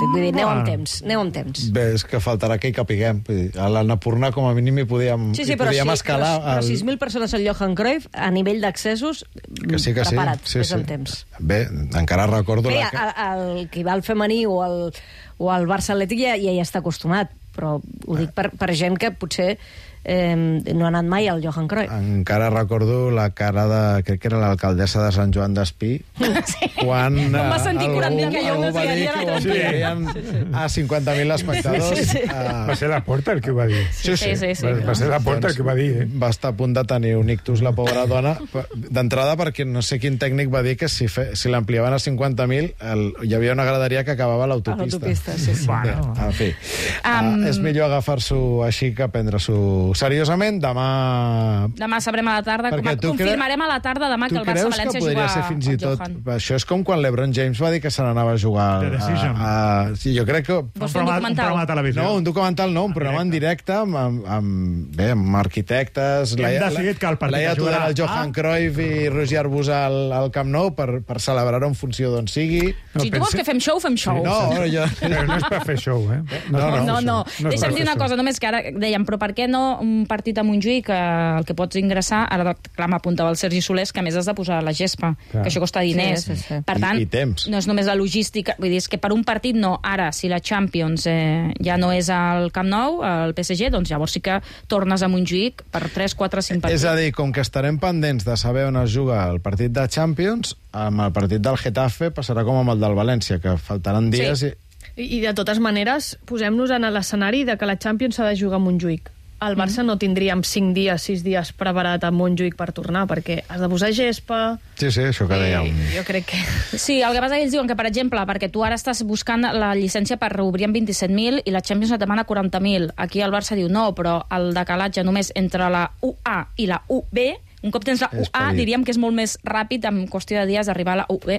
partit. Vull dir, aneu amb temps. Bé, és que faltarà que hi capiguem. A l'Annapurna, com a mínim, hi podíem escalar. Però 6.000 persones al Johan Cruyff, a nivell d'accessos, preparat, és en temps. Bé, encara recordo... Bé, el que va al femení o al Barça Atlètic ja hi està acostumat, però ho dic per gent que potser no ha anat mai al Johan Cruyff. Encara recordo la cara de... crec que era l'alcaldessa de Sant Joan d'Espí, quan em va sentir 40.000 que jo no va dir que ho ampliarien a 50.000 espectadors. Va ser la Porta el que ho va dir. Sí. Va ser la Porta el que va dir. Va estar a punt de tenir un ictus, la pobra dona, d'entrada perquè no sé quin tècnic va dir que si l'ampliaven a 50.000 hi havia una graderia que acabava a l'autopista. A l'autopista, sí. Bueno. En fi, és millor agafar-s'ho així que prendre-s'ho seriosament. Demà sabrem a la tarda. Confirmarem a la tarda demà que el Barça-València juga al Johan. Això és com quan l'Ebron James va dir que se n'anava a jugar sí, jo crec que... Vols fer un documental? No, un documental no, un programa en directe amb arquitectes. Laia Tudor, el Johan Cruyff i Roger Arbusà al Camp Nou per celebrar-ho en funció d'on sigui. Si tu vols que fem show, fem show. Però no és per fer show, eh? No. Deixa'm dir una cosa, només que ara dèiem, però per què no un partit a Montjuïc el que pots ingressar, ara clar, m'apuntava el Sergi Solés, que a més has de posar la gespa, que això costa diners. Per tant, no és només la logística, vull dir, és que per un partit no. Ara, si la Champions ja no és al Camp Nou, al PSG, doncs llavors sí que tornes a Montjuïc per 3, 4, 5 partits. És a dir, com que estarem pendents de saber on es juga el partit de Champions, amb el partit del Getafe passarà com amb el del València, que faltaran dies I de totes maneres, posem-nos en l'escenari de que la Champions s'ha de jugar a Montjuïc. Al Barça no tindríem 5 dies, 6 dies preparat a Montjuïc per tornar, perquè has de posar gespa... Sí, això que dèiem. Jo crec que... Sí, el que passa que ells diuen que, per exemple, perquè tu ara estàs buscant la llicència per reobrir amb 27.000 i la Champions et demana 40.000. Aquí el Barça diu no, però el decalatge només entre la UA i la UB, un cop tens la UA, diríem que és molt més ràpid, en qüestió de dies, d'arribar a la UB.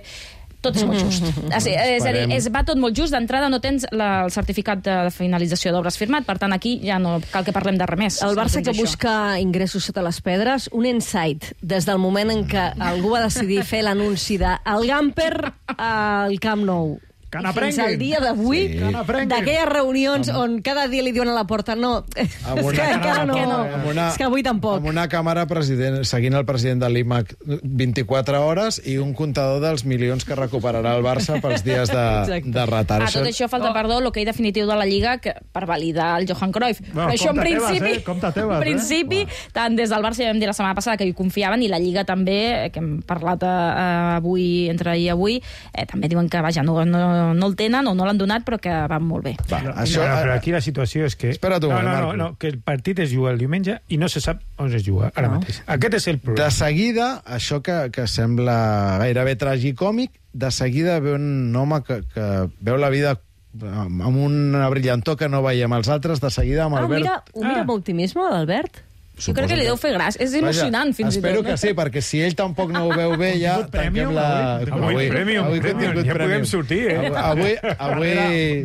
Tot és molt just. És a dir, va tot molt just. D'entrada no tens el certificat de finalització d'obres firmat, per tant, aquí ja no cal que parlem de res més. El Barça que busca ingressos sota les pedres, un insight des del moment en què algú va decidir fer l'anunci de el Gamper al Camp Nou. Fins al dia d'avui, d'aquelles reunions on cada dia li diuen a la porta no, és que encara no, és que avui tampoc. Amb una càmera seguint el president de l'IMAC 24 hores i un comptador dels milions que recuperarà el Barça pels dies de retard. A tot això falta, perdó, l'hoquei definitiu de la Lliga per validar el Johan Cruyff. Però això, en principi, tant des del Barça ja vam dir la setmana passada que hi confiaven, i la Lliga també, que hem parlat avui, entre ahir i avui, també diuen que, vaja, no el tenen o no l'han donat, però que van molt bé. Però aquí la situació és que... Espera't un moment, que el partit es juga el diumenge i no se sap on es juga ara mateix. Aquest és el problema. De seguida, això que sembla gairebé tragicòmic, de seguida ve un home que veu la vida amb una brillantor que no veiem els altres, de seguida amb Albert... Ho mira amb optimisme, l'Albert? Jo crec que li deu fer gràcia. És emocionant, fins i tot. Espero que sí, perquè si ell tampoc no ho veu bé, ja tanquem la... Avui ja podem sortir, eh? Avui...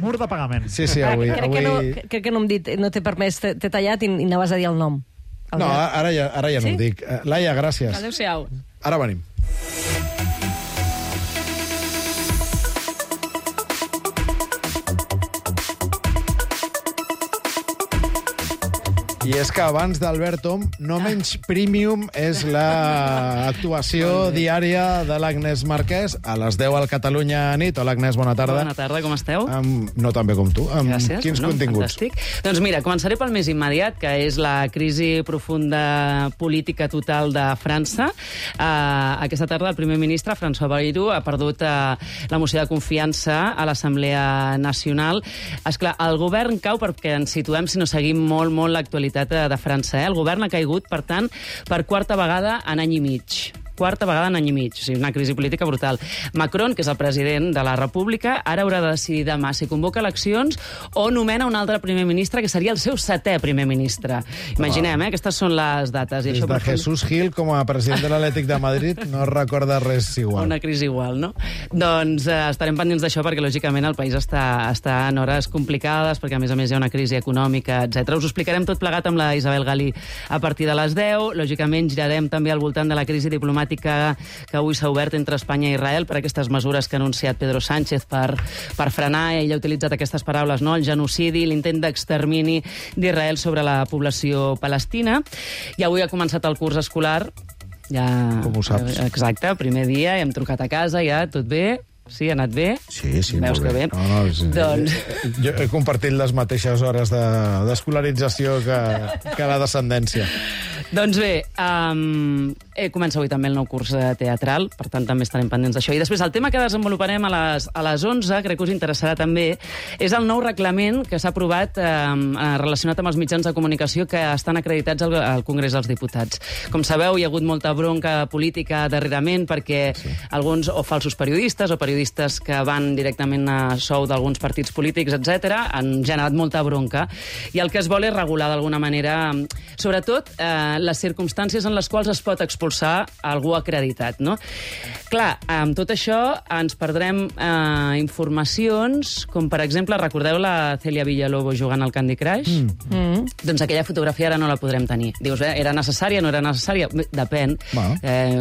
Mur de pagament. Sí, avui... Crec que no hem dit, no t'he permès, t'he tallat i anaves a dir el nom. No, ara ja no ho dic. Laia, gràcies. Adéu-siau. Ara venim. I és que abans d'Albert Om, no menys premium és l'actuació diària de l'Agnès Marquès a les 10 al Catalunya nit. Hola, Agnès, bona tarda. Bona tarda, com esteu? No tan bé com tu. Gràcies. Quins continguts? Fantàstic. Doncs mira, començaré pel més immediat, que és la crisi profunda política total de França. Aquesta tarda el primer ministre, François Bayrou, ha perdut la moció de confiança a l'Assemblea Nacional. Esclar, el govern cau perquè ens situem, si no seguim molt l'actualitat de França. El govern ha caigut, per tant, per quarta vegada en any i mig. Quarta vegada en any i mig, o sigui, una crisi política brutal. Macron, que és el president de la República, ara haurà de decidir demà si convoca eleccions o nomena un altre primer ministre, que seria el seu 7è primer ministre. Imaginem, aquestes són les dates. I Des de Jesús Gil, com a president de l'Atlètic de Madrid, no es recorda res igual. Una crisi igual, no? Doncs estarem pendents d'això, perquè, lògicament, el país està en hores complicades, perquè, a més hi ha una crisi econòmica, etc. Us ho explicarem tot plegat amb la Isabel Galí a partir de les 10. Lògicament, girarem també al voltant de la crisi diplomàtica diplomàtica que avui s'ha obert entre Espanya i Israel per aquestes mesures que ha anunciat Pedro Sánchez per frenar, ell ha utilitzat aquestes paraules, no? El genocidi, l'intent d'extermini d'Israel sobre la població palestina. I avui ha començat el curs escolar. Ja, com ho saps? Exacte, primer dia, hem trucat a casa, ja, tot bé? Sí, ha anat bé? Sí, veus molt que bé. Doncs... Jo he compartit les mateixes hores d'escolarització que la descendència. Doncs bé, comença avui també el nou curs teatral, per tant també estarem pendents d'això. I després el tema que desenvoluparem a les 11, crec que us interessarà també, és el nou reglament que s'ha aprovat relacionat amb els mitjans de comunicació que estan acreditats al Congrés dels Diputats. Com sabeu, hi ha hagut molta bronca política darrerament perquè alguns o falsos periodistes o periodistes que van directament a sou d'alguns partits polítics, etc., han generat molta bronca. I el que es vol és regular d'alguna manera, sobretot, les circumstàncies en les quals es pot expulsar algú acreditat, no? Clar, amb tot això ens perdrem informacions, com per exemple, recordeu la Celia Villalobos jugant al Candy Crush? Doncs aquella fotografia ara no la podrem tenir. Dius, era necessària, no era necessària? Depèn.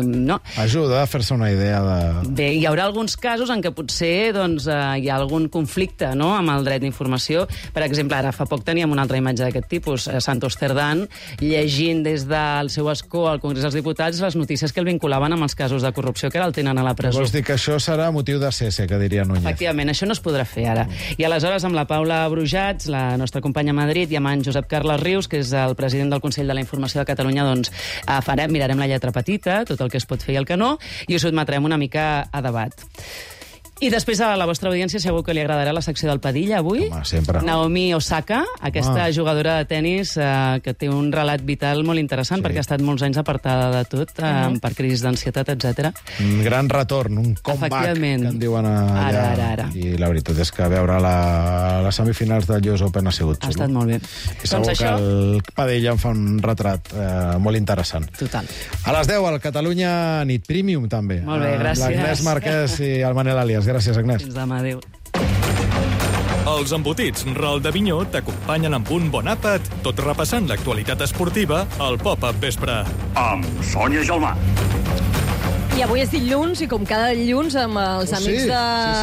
No. Ajuda a fer-se una idea de... Bé, hi haurà alguns casos en què potser doncs, hi ha algun conflicte, no?, amb el dret d'informació. Per exemple, ara fa poc teníem una altra imatge d'aquest tipus, Santos Cerdán, llegint des del seu escó al Congrés dels Diputats les notícies que el vinculaven amb els casos de corrupció que ara el tenen a la presó. Vols dir que això serà motiu de cese, que diria Núñez? Efectivament, això no es podrà fer ara. I aleshores, amb la Paula Brujats, la nostra companya a Madrid, i amb en Josep Carles Rius, que és el president del Consell de la Informació de Catalunya, doncs mirarem la lletra petita, tot el que es pot fer i el que no, i ho sotmetrem una mica a debat. I després a la vostra audiència segur que li agradarà la secció del Padilla avui. Home, sempre. Naomi Osaka, aquesta jugadora de tennis que té un relat vital molt interessant perquè ha estat molts anys apartada de tot per crisis d'ansietat, etc. Un gran retorn, un comeback, que en diuen allà. Ara. I la veritat és que veure les semifinals del US Open ha sigut xulo. Ha estat molt bé. I segur que el Padilla en fa un retrat molt interessant. Total. A les 10 al Catalunya Nit Premium, també. Molt bé, gràcies. L'Agnès Marquès i el Manel Alias. Gràcies, Agnès. Fins demà, adéu. Els embotits Ral de Vinyó t'acompanyen amb un bon àpat, tot repassant l'actualitat esportiva al Pop-Up Vespre. Amb Sònia Gelmà. I avui és dilluns, i com cada dilluns, amb els amics de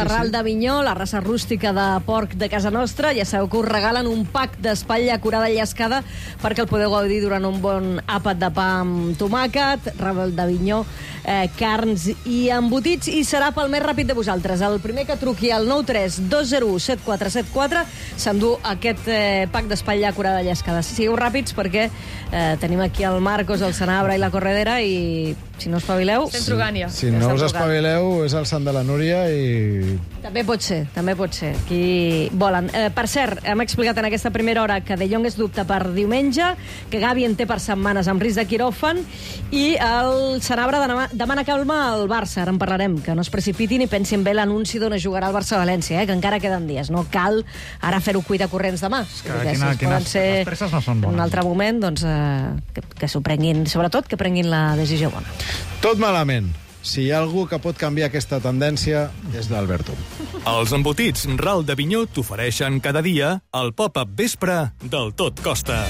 Ral de Vinyó, la raça rústica de porc de casa nostra, ja sabeu que us regalen un pack d'espatlla curada i llescada perquè el podeu gaudir durant un bon àpat de pa amb tomàquet, Ral de Vinyó, carns i embotits, i serà pel més ràpid de vosaltres. El primer que truqui al 932017474 s'endú aquest pack d'espatlla curada i llescada. Sigueu ràpids perquè tenim aquí el Marcos, el Sanabra i la Corredera, i si no espavileu... Estem trugant ja. Si no us espavileu, és el Sant de la Núria i... També pot ser. Qui volen. Per cert, hem explicat en aquesta primera hora que De Jong és dubte per diumenge, que Gavi en té per setmanes amb risc de quiròfan, i el Sanabra demana calma al Barça. Ara en parlarem, que no es precipitin i pensin bé l'anunci d'on es jugarà el Barça-València, que encara queden dies. No cal ara fer-ho cuita corrents demà. Les presses no són bones. En un altre moment, doncs, que s'ho prenguin, sobretot que prenguin la decisió bona. Tot malament. Si hi ha algú que pot canviar aquesta tendència, és l'Alberto. Els embotits Ral de Vinyó t'ofereixen cada dia el Pop-Up Vespre del Tot Costa.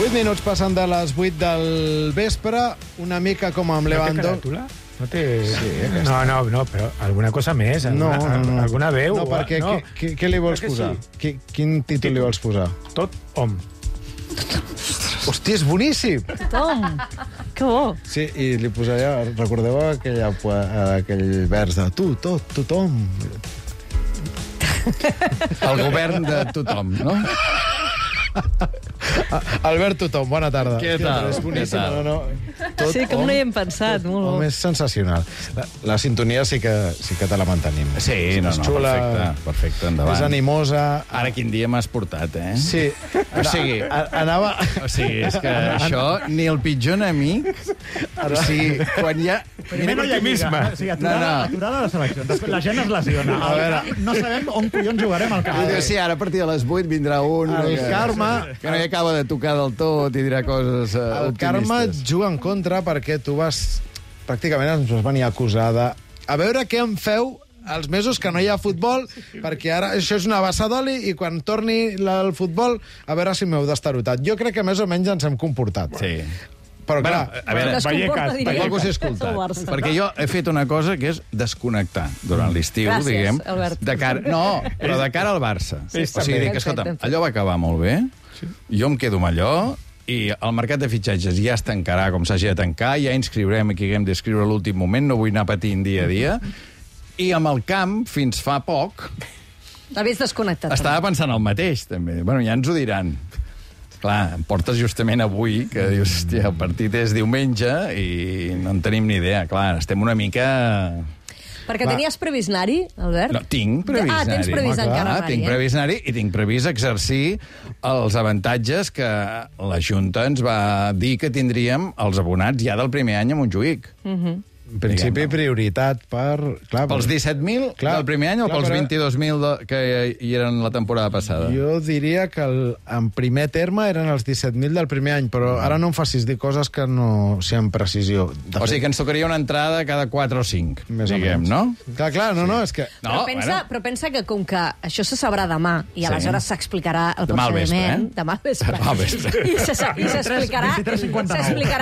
Minuts passen de les 8 del vespre, una mica com amb Lewandowski. No té... Sí, no, però alguna cosa més, alguna veu. No, perquè què li vols posar? Sí. Quin títol li vols posar? Tot hom. Hòstia, és boníssim! Tothom! Que bo! Sí, i li posaria... Recordeu aquell vers de tu, tot, tothom? El govern de tothom, no? Albert Tothom, bona tarda. Què tal? És boníssim, no? Sí, com no hi hem pensat. Home, és sensacional. La sintonia sí que te la mantenim. Sí, és xula, perfecte, endavant. És animosa. Ara quin dia m'has portat, eh? Sí. O sigui, anava... O sigui, és que això, ni el pitjor enemic... O sigui, quan hi ha... Primer no hi ha optimisme. O sigui, aturada de selecció. Després la gent es lesiona. A veure... No sabem on collons jugarem al camp. Sí, ara a partir de les 8 vindrà un... El karma... Que no hi acaba de tocar del tot i dirà coses optimistes. El karma et juga en contra perquè tu vas pràcticament ens vas venir a acusar de... A veure què em feu els mesos que no hi ha futbol, perquè ara això és una bassa d'oli i quan torni el futbol, a veure si m'heu destarotat. Jo crec que més o menys ens hem comportat. Sí. Però clar, a veure, algú s'ha escoltat. Perquè jo he fet una cosa que és desconnectar durant l'estiu, diguem. Albert. No, però de cara al Barça. O sigui, dic, escolta, allò va acabar molt bé, jo em quedo amb allò, i el mercat de fitxatges ja es tancarà com s'hagi de tancar, ja inscriurem qui haguem d'escriure a l'últim moment, no vull anar patint dia a dia, i amb el camp, fins fa poc... L'havies desconnectat. Estava pensant el mateix, també. Bueno, ja ens ho diran. Clar, em portes justament avui, que dius, hòstia, el partit és diumenge i no en tenim ni idea. Clar, estem una mica... Perquè tenies previst anar-hi, Albert? No, tinc previst anar-hi. Tens previst encara anar-hi. Tinc previst anar-hi i tinc previst exercir els avantatges que la Junta ens va dir que tindríem els abonats ja del primer any a Montjuïc. En principi, prioritat per... Pels 17.000 del primer any o pels 22.000 que hi eren la temporada passada? Jo diria que en primer terme eren els 17.000 del primer any, però ara no em facis dir coses que no sé amb precisió. O sigui que ens tocaria una entrada cada 4 o 5, diguem, no? Clar, no, és que... Però pensa que com que això se sabrà demà i aleshores s'explicarà el procediment... Demà al vespre. I s'explicarà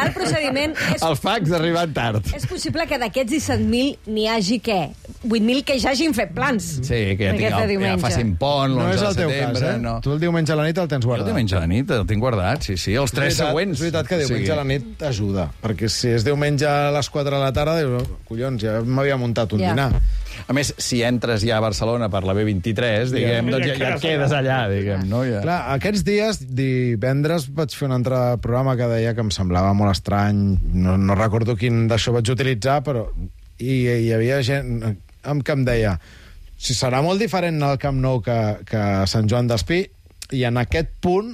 el procediment... El fax d'arribar tard. És possible que d'aquests 17.000 n'hi hagi, què? 8.000 que ja hagin fet plans. Sí, que ja facin pont, no és el el teu cas, eh? Tu el diumenge a la nit el tens guardat. Jo el diumenge a la nit el tinc guardat, sí. Els 3 següents. És veritat que diumenge a la nit ajuda, perquè si és diumenge a les 4 de la tarda, dius, collons, ja m'havia muntat un dinar. A més, si entres ja a Barcelona per la B23, diguem, doncs ja et quedes allà, diguem, no? Clar, aquests dies, divendres, vaig fer un altre programa que deia que em semblava molt estrany, no recordo quin d'això vaig utilitzar, però hi havia gent que em deia si serà molt diferent al Camp Nou que a Sant Joan d'Espí, i en aquest punt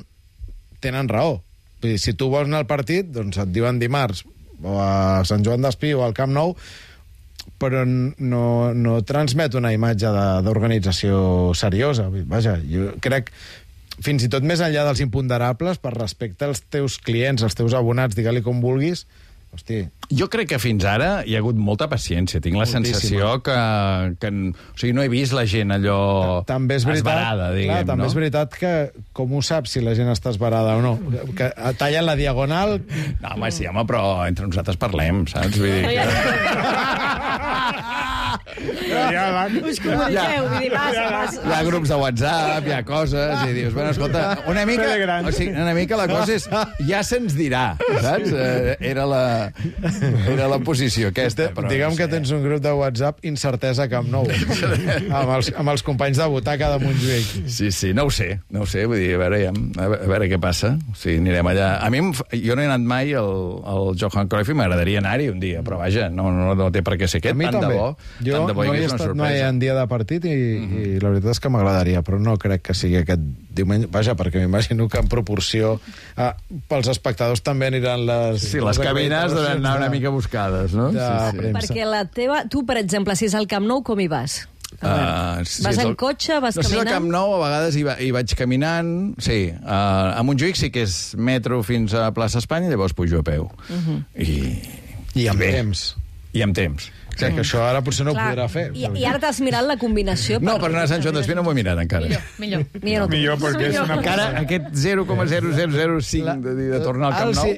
tenen raó. Vull dir, si tu vols anar al partit, doncs et diuen dimarts o a Sant Joan d'Espí o al Camp Nou, però no transmet una imatge d'organització seriosa. Vaja, jo crec, fins i tot més enllà dels imponderables, per respecte als teus clients, als teus abonats, digue-li com vulguis, hosti... Jo crec que fins ara hi ha hagut molta paciència. Tinc la sensació que o sigui, no he vist la gent allò esbarada, diguem, no? També és veritat que com ho saps si la gent està esbarada o no? Que tallen la diagonal... No, home, sí, però entre nosaltres parlem, saps? Vull dir us comuniqueu, vull dir, passa. Hi ha grups de WhatsApp, hi ha coses, i dius, bueno, escolta, una mica la cosa és, ja se'ns dirà, saps? Era la posició aquesta. Però diguem que tens un grup de WhatsApp incertesa Camp Nou, amb els companys de butaca de Montjuïc. Sí, no ho sé, vull dir, a veure què passa. O sigui, anirem allà. A mi, jo no he anat mai al Johan Cruyff i m'agradaria anar-hi un dia, però vaja, no té per què ser aquest, tant de bo. Jo no he estat mai en dia de partit i la veritat és que m'agradaria, però no crec que sigui aquest diumenge. Vaja, perquè m'imagino que en proporció pels espectadors també aniran les... Sí, les cabines deuen anar una mica buscades, no? Perquè tu, per exemple, si és al Camp Nou, com hi vas? Vas en cotxe, vas caminant? No sé, al Camp Nou a vegades hi vaig caminant. Sí, a Montjuïc sí que és metro fins a plaça Espanya, llavors pujo a peu. I amb temps. I amb temps. Que això ara potser no ho podrà fer. I ara t'has mirat la combinació? No, per anar a Sant Joan d'Espí no m'ho he mirat encara. Millor perquè és una... Encara aquest 0,0005 de tornar al Camp Nou.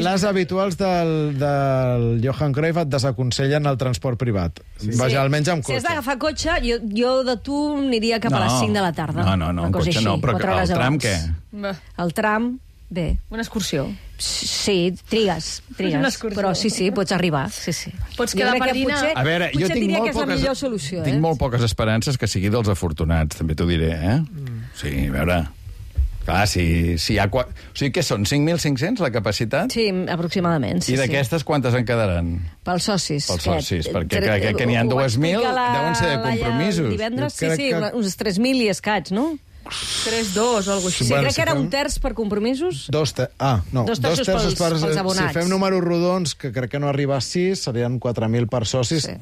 Les habituals del Johan Cruyff et desaconsellen el transport privat. Vaja, almenys amb cotxe. Si has d'agafar cotxe, jo de tu aniria cap a les 5 de la tarda. No, en cotxe no, però el tram què? El tram... Bé. Una excursió. Sí, trigues. Però sí, pots arribar. Sí. Pots quedar per dinar. A veure, jo tinc molt poques esperances que sigui dels afortunats, també t'ho diré, Sí, a veure... Clar, si hi ha... O sigui, què són, 5.500 la capacitat? Sí, aproximadament. I d'aquestes quantes en quedaran? Pels socis. Perquè crec que n'hi ha 2.000, deuen ser de compromisos. Divendres, sí, uns 3.000 i escaig, no? 3-2 o alguna cosa així. Sí, crec que era un terç per compromisos. Dos terços pels abonats. Si fem números rodons, que crec que no arriba a 6, serien 4.000 per socis. Sí.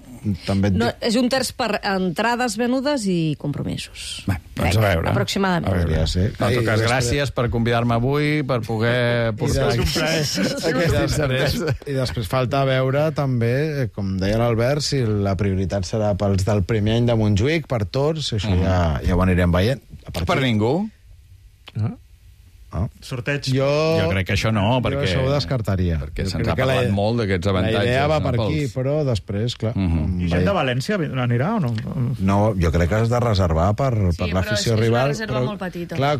També és un terç per entrades venudes i compromisos. Bé, doncs a veure. Aproximadament. Hauria de ser. En tot cas, gràcies per convidar-me avui, per poder portar aquest interès. I després falta veure també, com deia l'Albert, si la prioritat serà pels del primer any de Montjuïc, per tots, això ja ho anirem veient. Per ningú? Sorteig. Jo crec que això no, perquè... Jo això ho descartaria. Perquè se'ns ha parlat molt d'aquests avantatges. La idea va per aquí, però després, clar... I gent de València anirà o no? No, jo crec que has de reservar per l'afició rival. Sí, però és una reserva molt petita. Clar,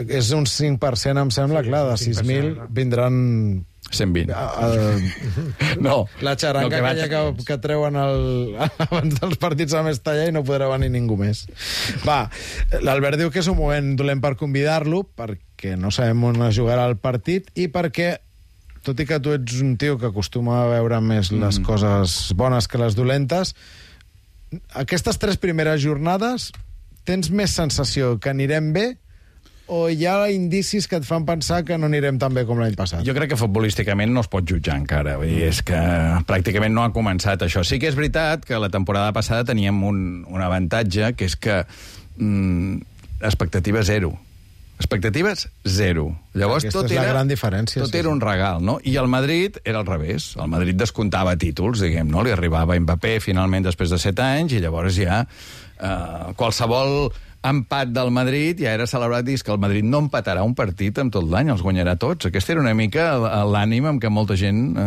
és un 5%, em sembla, clar, de 6.000 vindran... 120. No. La xaranca que treuen abans dels partits a Mestalla i no podrà venir ningú més. Va, l'Albert diu que és un moment dolent per convidar-lo, perquè no sabem on es jugarà el partit i perquè, tot i que tu ets un tio que acostuma a veure més les coses bones que les dolentes, aquestes 3 primeres jornades tens més sensació que anirem bé o hi ha indicis que et fan pensar que no anirem tan bé com l'any passat? Jo crec que futbolísticament no es pot jutjar encara. Vull dir, és que pràcticament no ha començat això. Sí que és veritat que la temporada passada teníem un avantatge, que és que expectatives 0. Expectatives 0. Llavors Aquesta és la gran diferència. Tot era un regal, no? I el Madrid era al revés. El Madrid descomptava títols, diguem, no? Li arribava Mbappé finalment després de 7 anys i llavors ja qualsevol empat del Madrid ja era celebrat i és que el Madrid no empatarà un partit en tot l'any, els guanyarà tots. Aquesta era una mica l'ànim amb què molta gent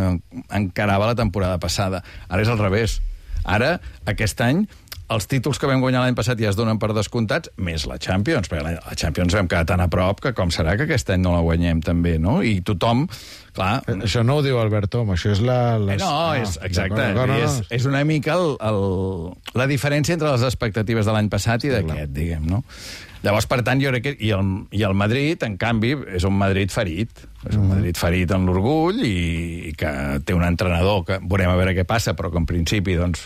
encarava la temporada passada. Ara és al revés. Ara, aquest any, els títols que vam guanyar l'any passat ja es donen per descomptats, més la Champions, perquè la Champions vam quedar tan a prop que com serà que aquest any no la guanyem també, no? I tothom, clar... Això no ho diu Albert Tom, això és exacte. És una mica la diferència entre les expectatives de l'any passat i d'aquest, diguem, no? Llavors, per tant, jo crec que... I el Madrid, en canvi, és un Madrid ferit. És un Madrid ferit en l'orgull i que té un entrenador que veurem a veure què passa, però que en principi, doncs...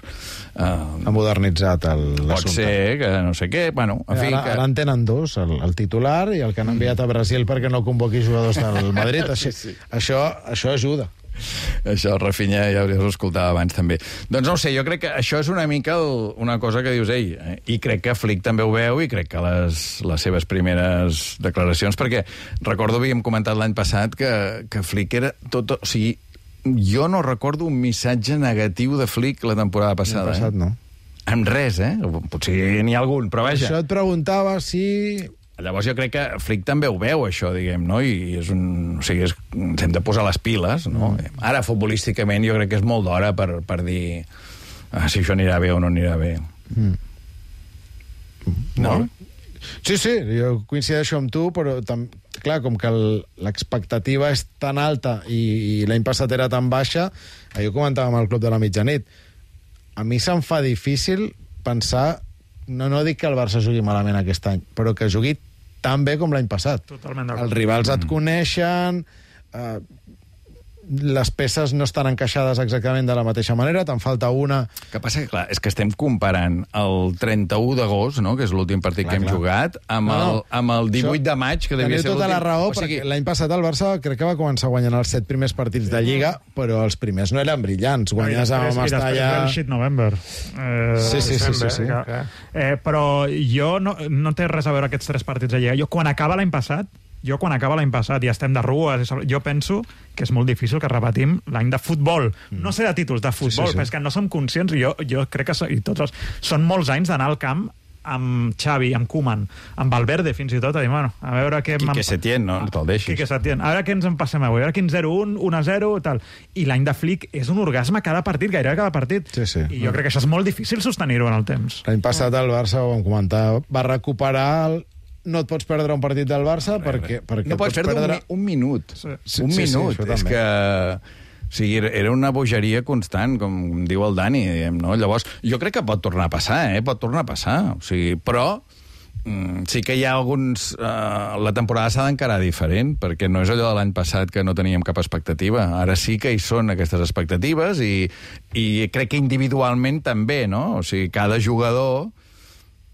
ha modernitzat l'assumpte. Pot ser que no sé què, bueno... En fi, ara en tenen 2, el titular i el que han enviat a Brasil perquè no convoqui jugadors del Madrid. Això ajuda. Això, Rafinha, ja hauries escoltat abans també. Doncs no ho sé, jo crec que això és una mica una cosa que dius ell, i crec que Flick també ho veu i crec que les seves primeres declaracions, perquè recordo, havíem comentat l'any passat que Flick era tot... O sigui, jo no recordo un missatge negatiu de Flick la temporada passada. L'any passat no. Amb res, Potser n'hi ha algun, però vaja. Això et preguntava si... Llavors jo crec que Flick també ho veu, això, diguem, no? I és o sigui, ens hem de posar les piles, no? Ara, futbolísticament, jo crec que és molt d'hora per dir si això anirà bé o no anirà bé. No? Sí, jo coincideixo amb tu, però clar, com que l'expectativa és tan alta i l'any passat era tan baixa, jo comentava amb el Club de la Mitjanit, a mi se'm fa difícil pensar, no dic que el Barça jugui malament aquest any, però que jugui tan bé com l'any passat. Totalment d'acord. Els rivals et coneixen, les peces no estan encaixades exactament de la mateixa manera, te'n falta una... El que passa que, clar, és que estem comparant el 31 d'agost, no?, que és l'últim partit que hem jugat, amb el 18 de maig, que devia ser l'últim... Teniu tota la raó, perquè l'any passat el Barça crec que va començar guanyant els 7 primers partits de Lliga, però els primers no eren brillants. Guanyes amb Mestalla... I després el shit November. Sí. Però jo no té res a veure aquests 3 partits de Lliga. Quan acaba l'any passat i estem de rues, jo penso que és molt difícil que repetim l'any de futbol. No sé de títols, de futbol, però és que no som conscients, i jo crec que són molts anys d'anar al camp amb Xavi, amb Koeman, amb Valverde, fins i tot, a dir, bueno, a veure què... Quique Setién, no? No te'l deixis. Quique Setién. A veure què ens en passem avui, a veure quin 0-1, 1-0, tal. I l'any de Flick és un orgasme cada partit, gairebé cada partit. Sí. I jo crec que això és molt difícil sostenir-ho en el temps. L'any passat el Barça, ho vam comentar, va recuperar... No et pots perdre un partit del Barça perquè no pots perdre un minut. Un minut. És que... O sigui, era una bogeria constant, com diu el Dani, diguem, no? Llavors, jo crec que pot tornar a passar, pot tornar a passar. O sigui, però sí que hi ha alguns... la temporada s'ha d'encarar diferent, perquè no és allò de l'any passat que no teníem cap expectativa. Ara sí que hi són aquestes expectatives i crec que individualment també, no? O sigui, cada jugador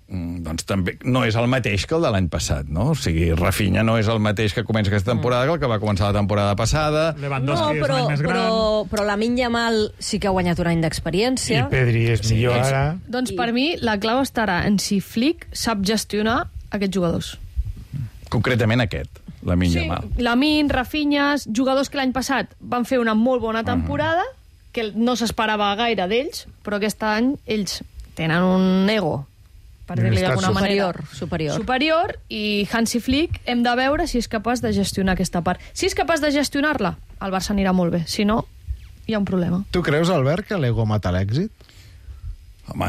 doncs també no és el mateix que el de l'any passat, no? O sigui, Rafinha no és el mateix que comença aquesta temporada que el que va començar la temporada passada. Lewandowski és un any més gran. Però Lamine Yamal sí que ha guanyat un any d'experiència. I Pedri és millor ara. Doncs per mi la clau estarà en si Flick sap gestionar aquests jugadors. Concretament aquest, Lamine Yamal. Lamine, Rafinha, jugadors que l'any passat van fer una molt bona temporada, que no s'esperava gaire d'ells, però aquest any ells tenen un ego, per dir-li d'alguna manera, superior, i Hansi Flick hem de veure si és capaç de gestionar aquesta part. Si és capaç de gestionar-la, el Barça anirà molt bé. Si no, hi ha un problema. Tu creus, Albert, que l'ego mata l'èxit? Home,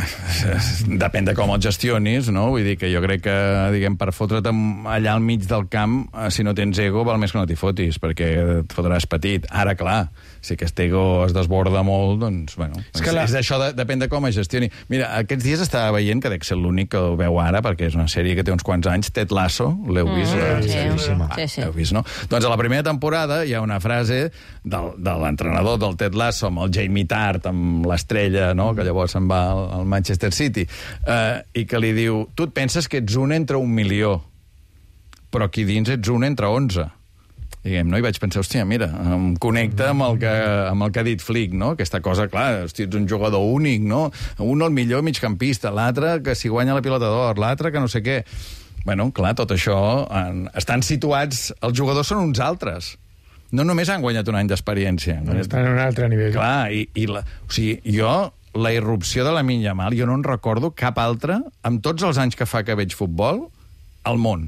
depèn de com el gestionis, no? Vull dir que jo crec que, diguem, per fotre't allà al mig del camp, si no tens ego, val més que no t'hi fotis, perquè et fotràs petit. Ara, clar, si aquest ego es desborda molt, doncs, bueno, és això, depèn de com es gestioni. Mira, aquests dies estava veient, que dec ser l'únic que ho veu ara, perquè és una sèrie que té uns quants anys, Ted Lasso, l'heu vist? Sí. L'heu vist, no? Doncs a la primera temporada hi ha una frase de l'entrenador del Ted Lasso, amb el Jamie Tart, amb l'estrella, no?, que llavors se'n va al Manchester City, i que li diu, tu et penses que ets un entre 1 milió, però aquí dins ets un entre 11. Diguem, no? I vaig pensar, hòstia, mira, em connecta amb el que ha dit Flick, no? Aquesta cosa, clar, hòstia, ets un jugador únic, no? Un el millor migcampista, l'altre que si guanya la pilota d'or, l'altre que no sé què. Bueno, clar, tot això, estan situats, els jugadors són uns altres. No només han guanyat un any d'experiència. Estan en un altre nivell. Clar, o sigui, la irrupció de Lamine Yamal, jo no en recordo cap altra, amb tots els anys que fa que veig futbol, al món.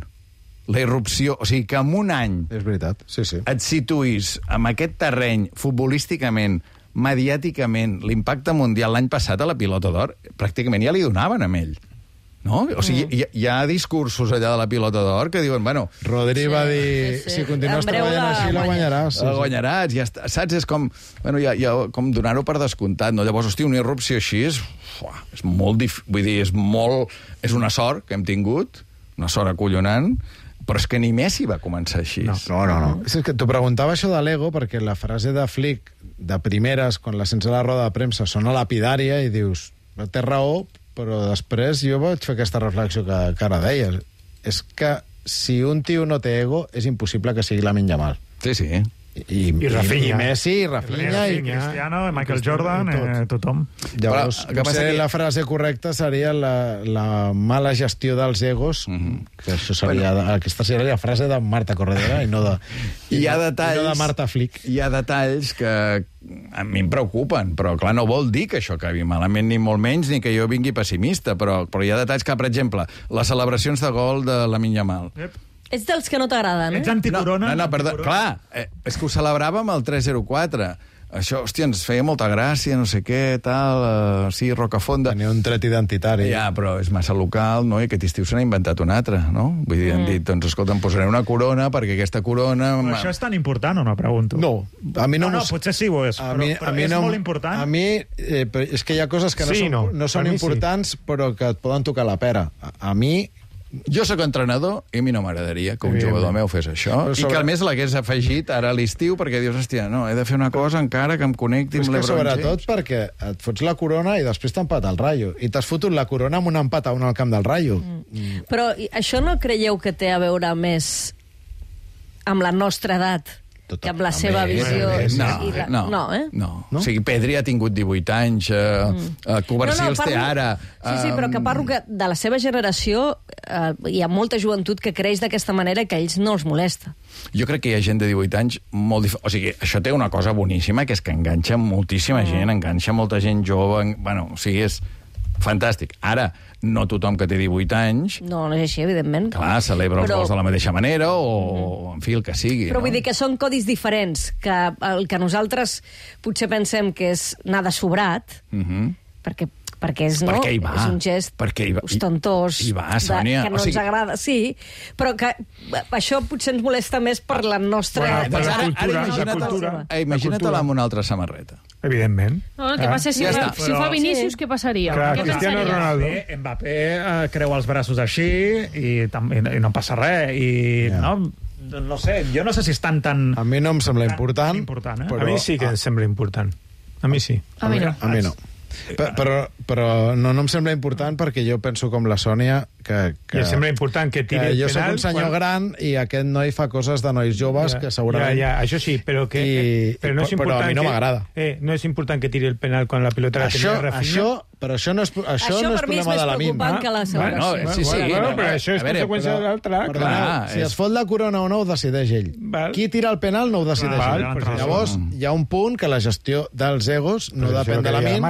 La irrupció, o sigui, que en un any és veritat, sí. Et situïs en aquest terreny, futbolísticament, mediàticament, l'impacte mundial l'any passat a la pilota d'or, pràcticament ja li donaven a ell. No? O sigui, hi ha discursos allà de la pilota d'or que diuen, bueno... Rodri va dir, si continues treballant així, la guanyaràs. La guanyaràs, ja està. Saps? És com, bueno, ja, com donar-ho per descomptat, no? Llavors, hosti, una irrupció així és molt difícil, vull dir, és una sort que hem tingut, una sort acollonant, però és que ni Messi va començar així. No. És que t'ho preguntava això de l'ego, perquè la frase de Flick, de primeres, quan la sents a la roda de premsa, sona lapidària i dius, té raó, però després jo vaig fer aquesta reflexió que ara deies. És que si un tio no té ego, és impossible que sigui Lamine Yamal. Sí. I Rafinha. I Messi, i Rafinha, i Cristiano, Michael Jordan, tothom. Llavors, potser la frase correcta seria la mala gestió dels egos, que això seria, aquesta seria la frase de Marta Corredera i no de Marta Flick. Hi ha detalls que a mi em preocupen, però clar, no vol dir que això acabi malament, ni molt menys, ni que jo vingui pessimista, però hi ha detalls que, per exemple, les celebracions de gol de Lamine Yamal. Ets dels que no t'agraden, eh? Ets anticorona? No, perdó. Clar, és que ho celebràvem el 3-0-4. Això, hòstia, ens feia molta gràcia, no sé què, tal, sí, Rocafonda. Tenia un tret identitari. Ja, però és massa local, no? I aquest estiu se n'ha inventat un altre, no? Vull dir, han dit, doncs, escolta, em posaré una corona, perquè aquesta corona... Però això és tan important o no, pregunto? No, a mi no... No, potser sí ho és, però és molt important. A mi, és que hi ha coses que no són importants, però que et poden tocar la pera. A mi... Jo sóc entrenador i a mi no m'agradaria que un jugador meu fes això i que a més l'hagués afegit ara a l'estiu perquè dius, hòstia, no, he de fer una cosa encara que em connecti amb l'Ebron James. Sobretot perquè et fots la corona i després t'empat el Rayo. I t'has fotut la corona amb un empat a un al camp del Rayo. Però això no creieu que té a veure més amb la nostra edat que amb la seva visió... No. O sigui, Pedri ha tingut 18 anys, Covarsí els té ara... Sí, però que parlo que de la seva generació hi ha molta joventut que creix d'aquesta manera que a ells no els molesta. Jo crec que hi ha gent de 18 anys molt o sigui, això té una cosa boníssima, que és que enganxa moltíssima gent, enganxa molta gent jove... Bueno, o sigui, és fantàstic. Ara, no tothom que té 18 anys... No és així, evidentment. Clar, celebra els gols de la mateixa manera o, en fi, el que sigui. Però vull dir que són codis diferents, que el que nosaltres potser pensem que és anar de sobrat, perquè és, no? Perquè hi va. És un gest ostentós, hi va, Sònia. Que no ens agrada, sí, però que això potser ens molesta més per la nostra... Imagina't-la amb una altra samarreta. Evidentment. No, el que passa és si ho fa Vinícius, què passaria? Clar, Cristiano Ronaldo. Mbappé creu els braços així i no passa res. No sé, jo no sé si estan tan... A mi no em sembla important. A mi sí que em sembla important. A mi sí. A mi no. Però no em sembla important perquè jo penso com la Sònia que I em sembla important que tiri el penal... Jo soc un senyor gran i aquest noi fa coses de nois joves que segurament... Això sí, però no és important... Però a mi no m'agrada. No és important que tiri el penal quan la pilota la tenia Rafinha. Però això no és problema de la mi és més preocupant que la celebració. Però això és conseqüència de l'altre. Si es fot la corona o no, ho decideix ell. Qui tira el penal no ho decideix ell. Llavors, hi ha un punt que la gestió dels egos no depèn de la Min,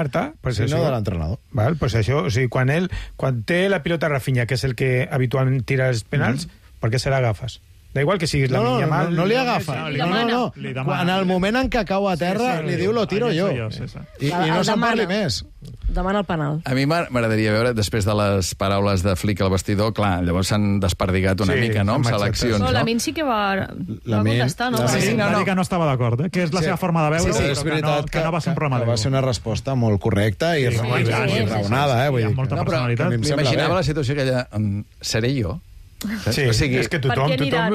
sinó de l'entrenador. Pues això, o sigui, quan té la pilota Rafinha, que és el que habitualment tira els penals, per què se l'agafes? Da igual que siguis la Minya Mal... No li agafa. No. En el moment en què cau a terra, li diu lo tiro jo. I no se'n parli més. Demana el penal. A mi m'agradaria veure, després de les paraules de Flick al vestidor, clar, llavors s'han desperdigat una mica, no?, amb seleccions, no? La Min sí que va contestar, no? Sí, va dir que no estava d'acord, que és la seva forma de veure, però que no va ser un problema d'ego. Va ser una resposta molt correcta i raonada, vull dir. Molta personalitat. M'imaginava la situació aquella... Seré jo? Sí, o sigui, és que tothom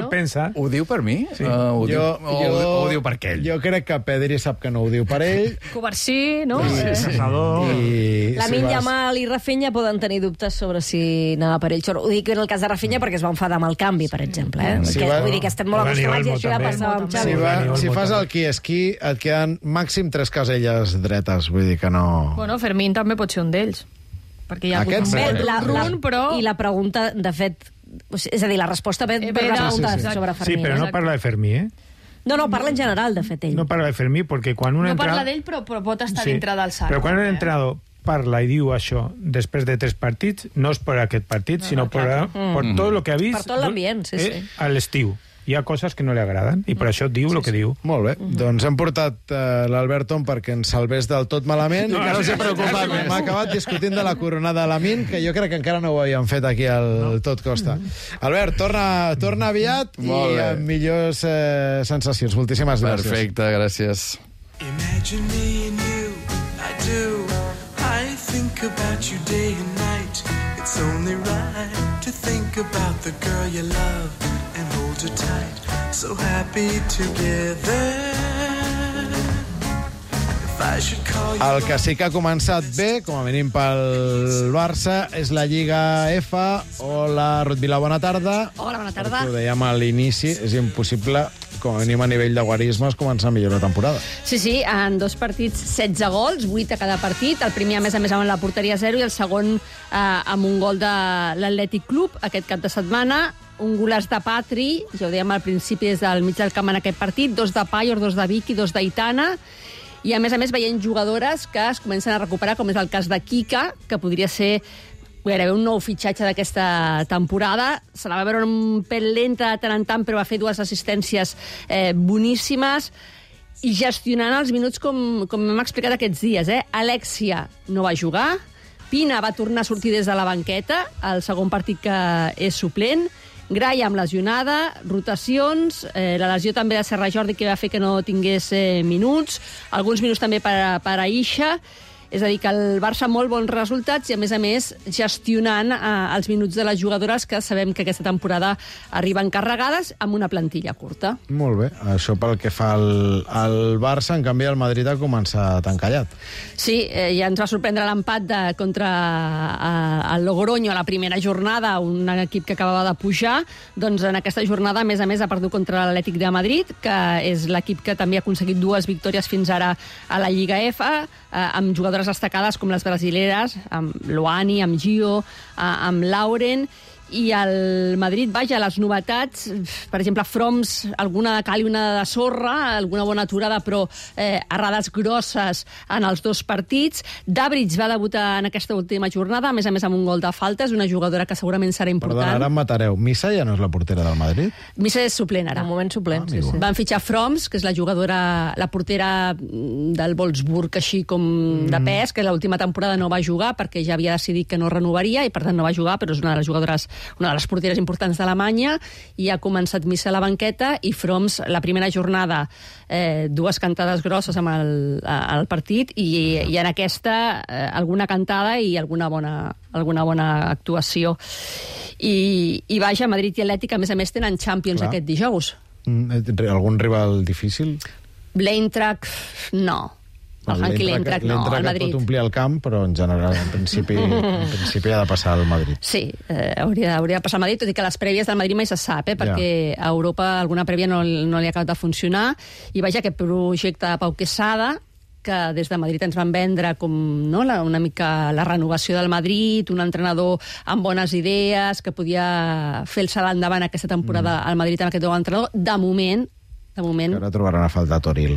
pensa... Ho diu per mi? Sí. Ho diu per aquell? Jo crec que Pedri sap que no ho diu per ell. Covarsí, no? La Min Yamal i Rafinha poden tenir dubtes sobre si anava per ell. Ho dic en el cas de Rafinha perquè es va enfadar amb el canvi, per exemple. Vull dir que estem molt acostumats i això ja passava amb Xavi. Si fas el qui és qui, et queden màxim 3 caselles dretes. Vull dir que no... Bueno, Fermín també pot ser un d'ells. Perquè hi ha hagut un run, però... I la pregunta, de fet... És a dir, la resposta ve sobre Fermín. Sí, però no parla de Fermí, No, parla en general, de fet, ell. No parla de Fermí, perquè quan un entrenador... No parla d'ell, però pot estar dintre del sac. Però quan un entrenador parla i diu això després de 3 partits, no és per aquest partit, sinó per tot el que ha vist... Per tot l'ambient, sí. A l'estiu. Hi ha coses que no li agraden i per això diu el que diu. Molt bé. Doncs hem portat l'Alberton perquè ens salvés del tot malament i que no s'hi preocupat més. M'ha acabat discutint de la coronada de la Min, que jo crec que encara no ho havíem fet aquí al Tot Costa. Albert, torna aviat i amb millors sensacions. Moltíssimes gràcies. Perfecte, gràcies. Imagine me and you, I do. I think about you day and night. It's only right to think about the girl you love and hold her tight. So happy together. El que sí que ha començat bé, com a mínim pel Barça, és la Lliga F. Hola, Ruth Vila, bona tarda. Hola, bona tarda. Ho dèiem a l'inici, és impossible, com a mínim a nivell de guarismes, començar millor la temporada. Sí, en 2 partits 16 gols, 8 a cada partit. El primer, a més amb la porteria 0 i el segon amb un gol de l'Atlètic Club aquest cap de setmana. Un golaç de Patri, ja ho dèiem al principi des del mig del camp en aquest partit, 2 de Payor, 2 de Vicky, 2 d'Aitana. I, a més, veient jugadores que es comencen a recuperar, com és el cas de Kika, que podria ser gairebé un nou fitxatge d'aquesta temporada. Se la va veure un pèl lenta de tant en tant, però va fer 2 assistències boníssimes i gestionant els minuts com hem explicat aquests dies. Alexia no va jugar, Pina va tornar a sortir des de la banqueta, el segon partit que és suplent, Graham lesionada, rotacions, la lesió també de Serra Jordi que va fer que no tingués minuts, alguns minuts també per a Isha. És a dir, que el Barça molt bons resultats i, a més, gestionant els minuts de les jugadores que sabem que aquesta temporada arriben carregades amb una plantilla curta. Molt bé. Això pel que fa al Barça, en canvi el Madrid ha començat encallat. Sí, ja ens va sorprendre l'empat contra el Logroño a la primera jornada, un equip que acabava de pujar. Doncs en aquesta jornada, a més, ha perdut contra l'Atlètic de Madrid, que és l'equip que també ha aconseguit 2 victòries fins ara a la Lliga F, amb jugadores destacades com les brasileres, amb Loani, amb Gio, amb Lauren, i el Madrid, vaja, les novetats, per exemple, Froms, alguna de cal i una de sorra, alguna bona aturada, però errades grosses en els 2 partits. Dabric va debutar en aquesta última jornada, a més amb un gol de falta, és una jugadora que segurament serà important. Perdona, ara em matareu. Missa ja no és la portera del Madrid? Missa és suplent, ara. De moment suplent, sí. Van fitxar Froms, que és la jugadora, la portera del Wolfsburg, així com de pes, que l'última temporada no va jugar perquè ja havia decidit que no renovaria i per tant no va jugar, però és una de les jugadores, una de les porteres importants d'Alemanya, i ha començat Missa a la banqueta i Froms la primera jornada 2 cantades grosses amb el partit i en aquesta alguna cantada i alguna bona actuació. I vaja, Madrid i Atlètic, a més, tenen Champions aquest dijous. Algun rival difícil? L'Eintracht, no. Hanky L'Eintracht no, al Madrid. Pot omplir el camp, però en general, en principi ha de passar al Madrid. Sí, hauria de passar al Madrid, tot i que les prèvies del Madrid mai se sap, perquè a Europa alguna prèvia no li ha acabat de funcionar, i vaja, aquest projecte de Pau Quesada, que des de Madrid ens van vendre com una mica la renovació del Madrid, un entrenador amb bones idees, que podia fer el salt endavant aquesta temporada al Madrid amb aquest nou entrenador. De moment... Ara trobaran a faltar Toril.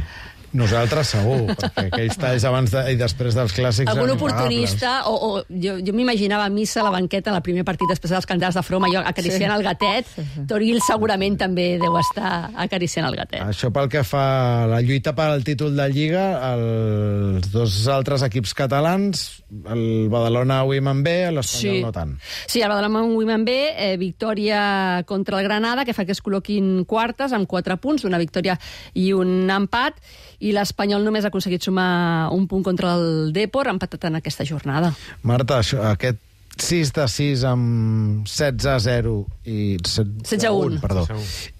Nosaltres segur, perquè aquells talls abans i després dels clàssics... Algun oportunista, o jo m'imaginava a Missa a la banqueta en el primer partit després dels cantants de Froma, jo acariciant el gatet. Toril segurament també deu estar acariciant el gatet. Això pel que fa a la lluita per al títol de Lliga, els dos altres equips catalans, el Badalona Women B, l'Espanyol no tant. Sí, el Badalona Women B, victòria contra el Granada, que fa que es col·loquin quartes amb 4 punts, una victòria i un empat, i l'Espanyol només ha aconseguit sumar un punt contra el Depor, empatat en aquesta jornada. Marta, aquest 6-6 amb 16-0 i 16-1, perdó,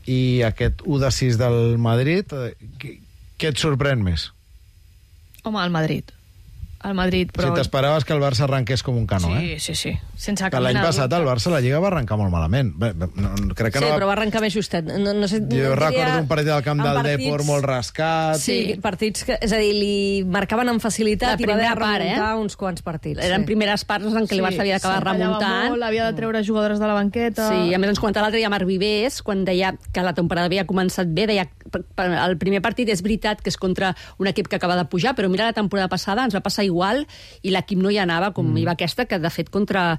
i aquest 1-6 del Madrid, què et sorprèn més? Home, el Madrid. El Madrid, però... Si t'esperaves que el Barça arrenqués com un canó, Sí. Sense cap l'any passat el Barça la Lliga va arrencar molt malament. Crec que però va arrencar més justet. Jo recordo un partit al camp del Depor molt rascat. Sí, partits que... És a dir, li marcaven amb facilitat i va haver de remuntar uns quants partits. Eren primeres parts en què el Barça havia d'acabar remuntant. Havia de treure jugadores de la banqueta. Sí, a més ens comentava l'altre dia Marc Vivés, quan deia que la temporada havia començat bé, deia el primer partit és veritat que és contra un equip que acaba de pujar, però mira la temporada passada, ens va passar igual i l'equip no hi anava com hi va aquesta, que de fet contra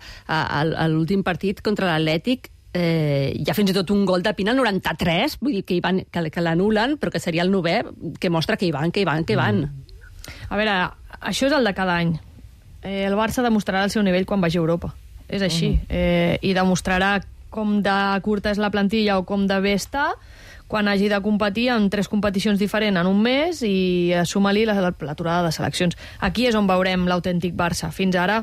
l'últim partit contra l'Atlètic hi ha fins i tot un gol de Pina al 93, vull dir que l'anulen, però que seria el 9è, que mostra que hi van. A veure, això és el de cada any. El Barça demostrarà el seu nivell quan vagi a Europa. És així. I demostrarà com de curta és la plantilla o com de bé està quan hagi de competir en 3 competicions diferents en un mes i suma-li l'aturada de seleccions. Aquí és on veurem l'autèntic Barça. Fins ara,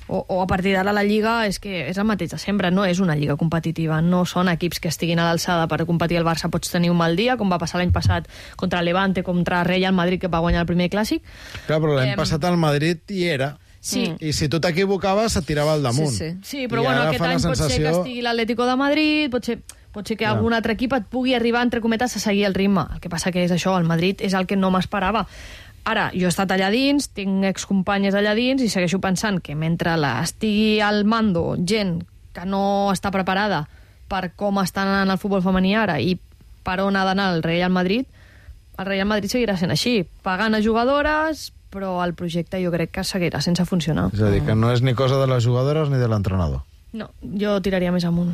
o a partir d'ara, la Lliga és que és el mateix de sempre, no és una Lliga competitiva, no són equips que estiguin a l'alçada per competir al Barça. Pots tenir un mal dia, com va passar l'any passat contra el Levante, contra Real Madrid, que va guanyar el primer clàssic. Clar, però l'any passat el Madrid hi era. Sí. I si tu t'equivocaves, et tirava al damunt. Sí, però bueno, aquest any pot ser que estigui l'Atlético de Madrid, pot ser que algun altre equip et pugui arribar, entre cometes, a seguir el ritme. El que passa que és això, el Madrid és el que no m'esperava. Ara, jo he estat allà dins, tinc excompanyes allà dins i segueixo pensant que mentre estigui al mando gent que no està preparada per com estan en el futbol femení ara i per on ha d'anar el Real Madrid seguirà sent així, pagant a jugadores, però el projecte jo crec que seguirà sense funcionar. És a dir, que no és ni cosa de les jugadores ni de l'entrenador. No, jo tiraria més amunt.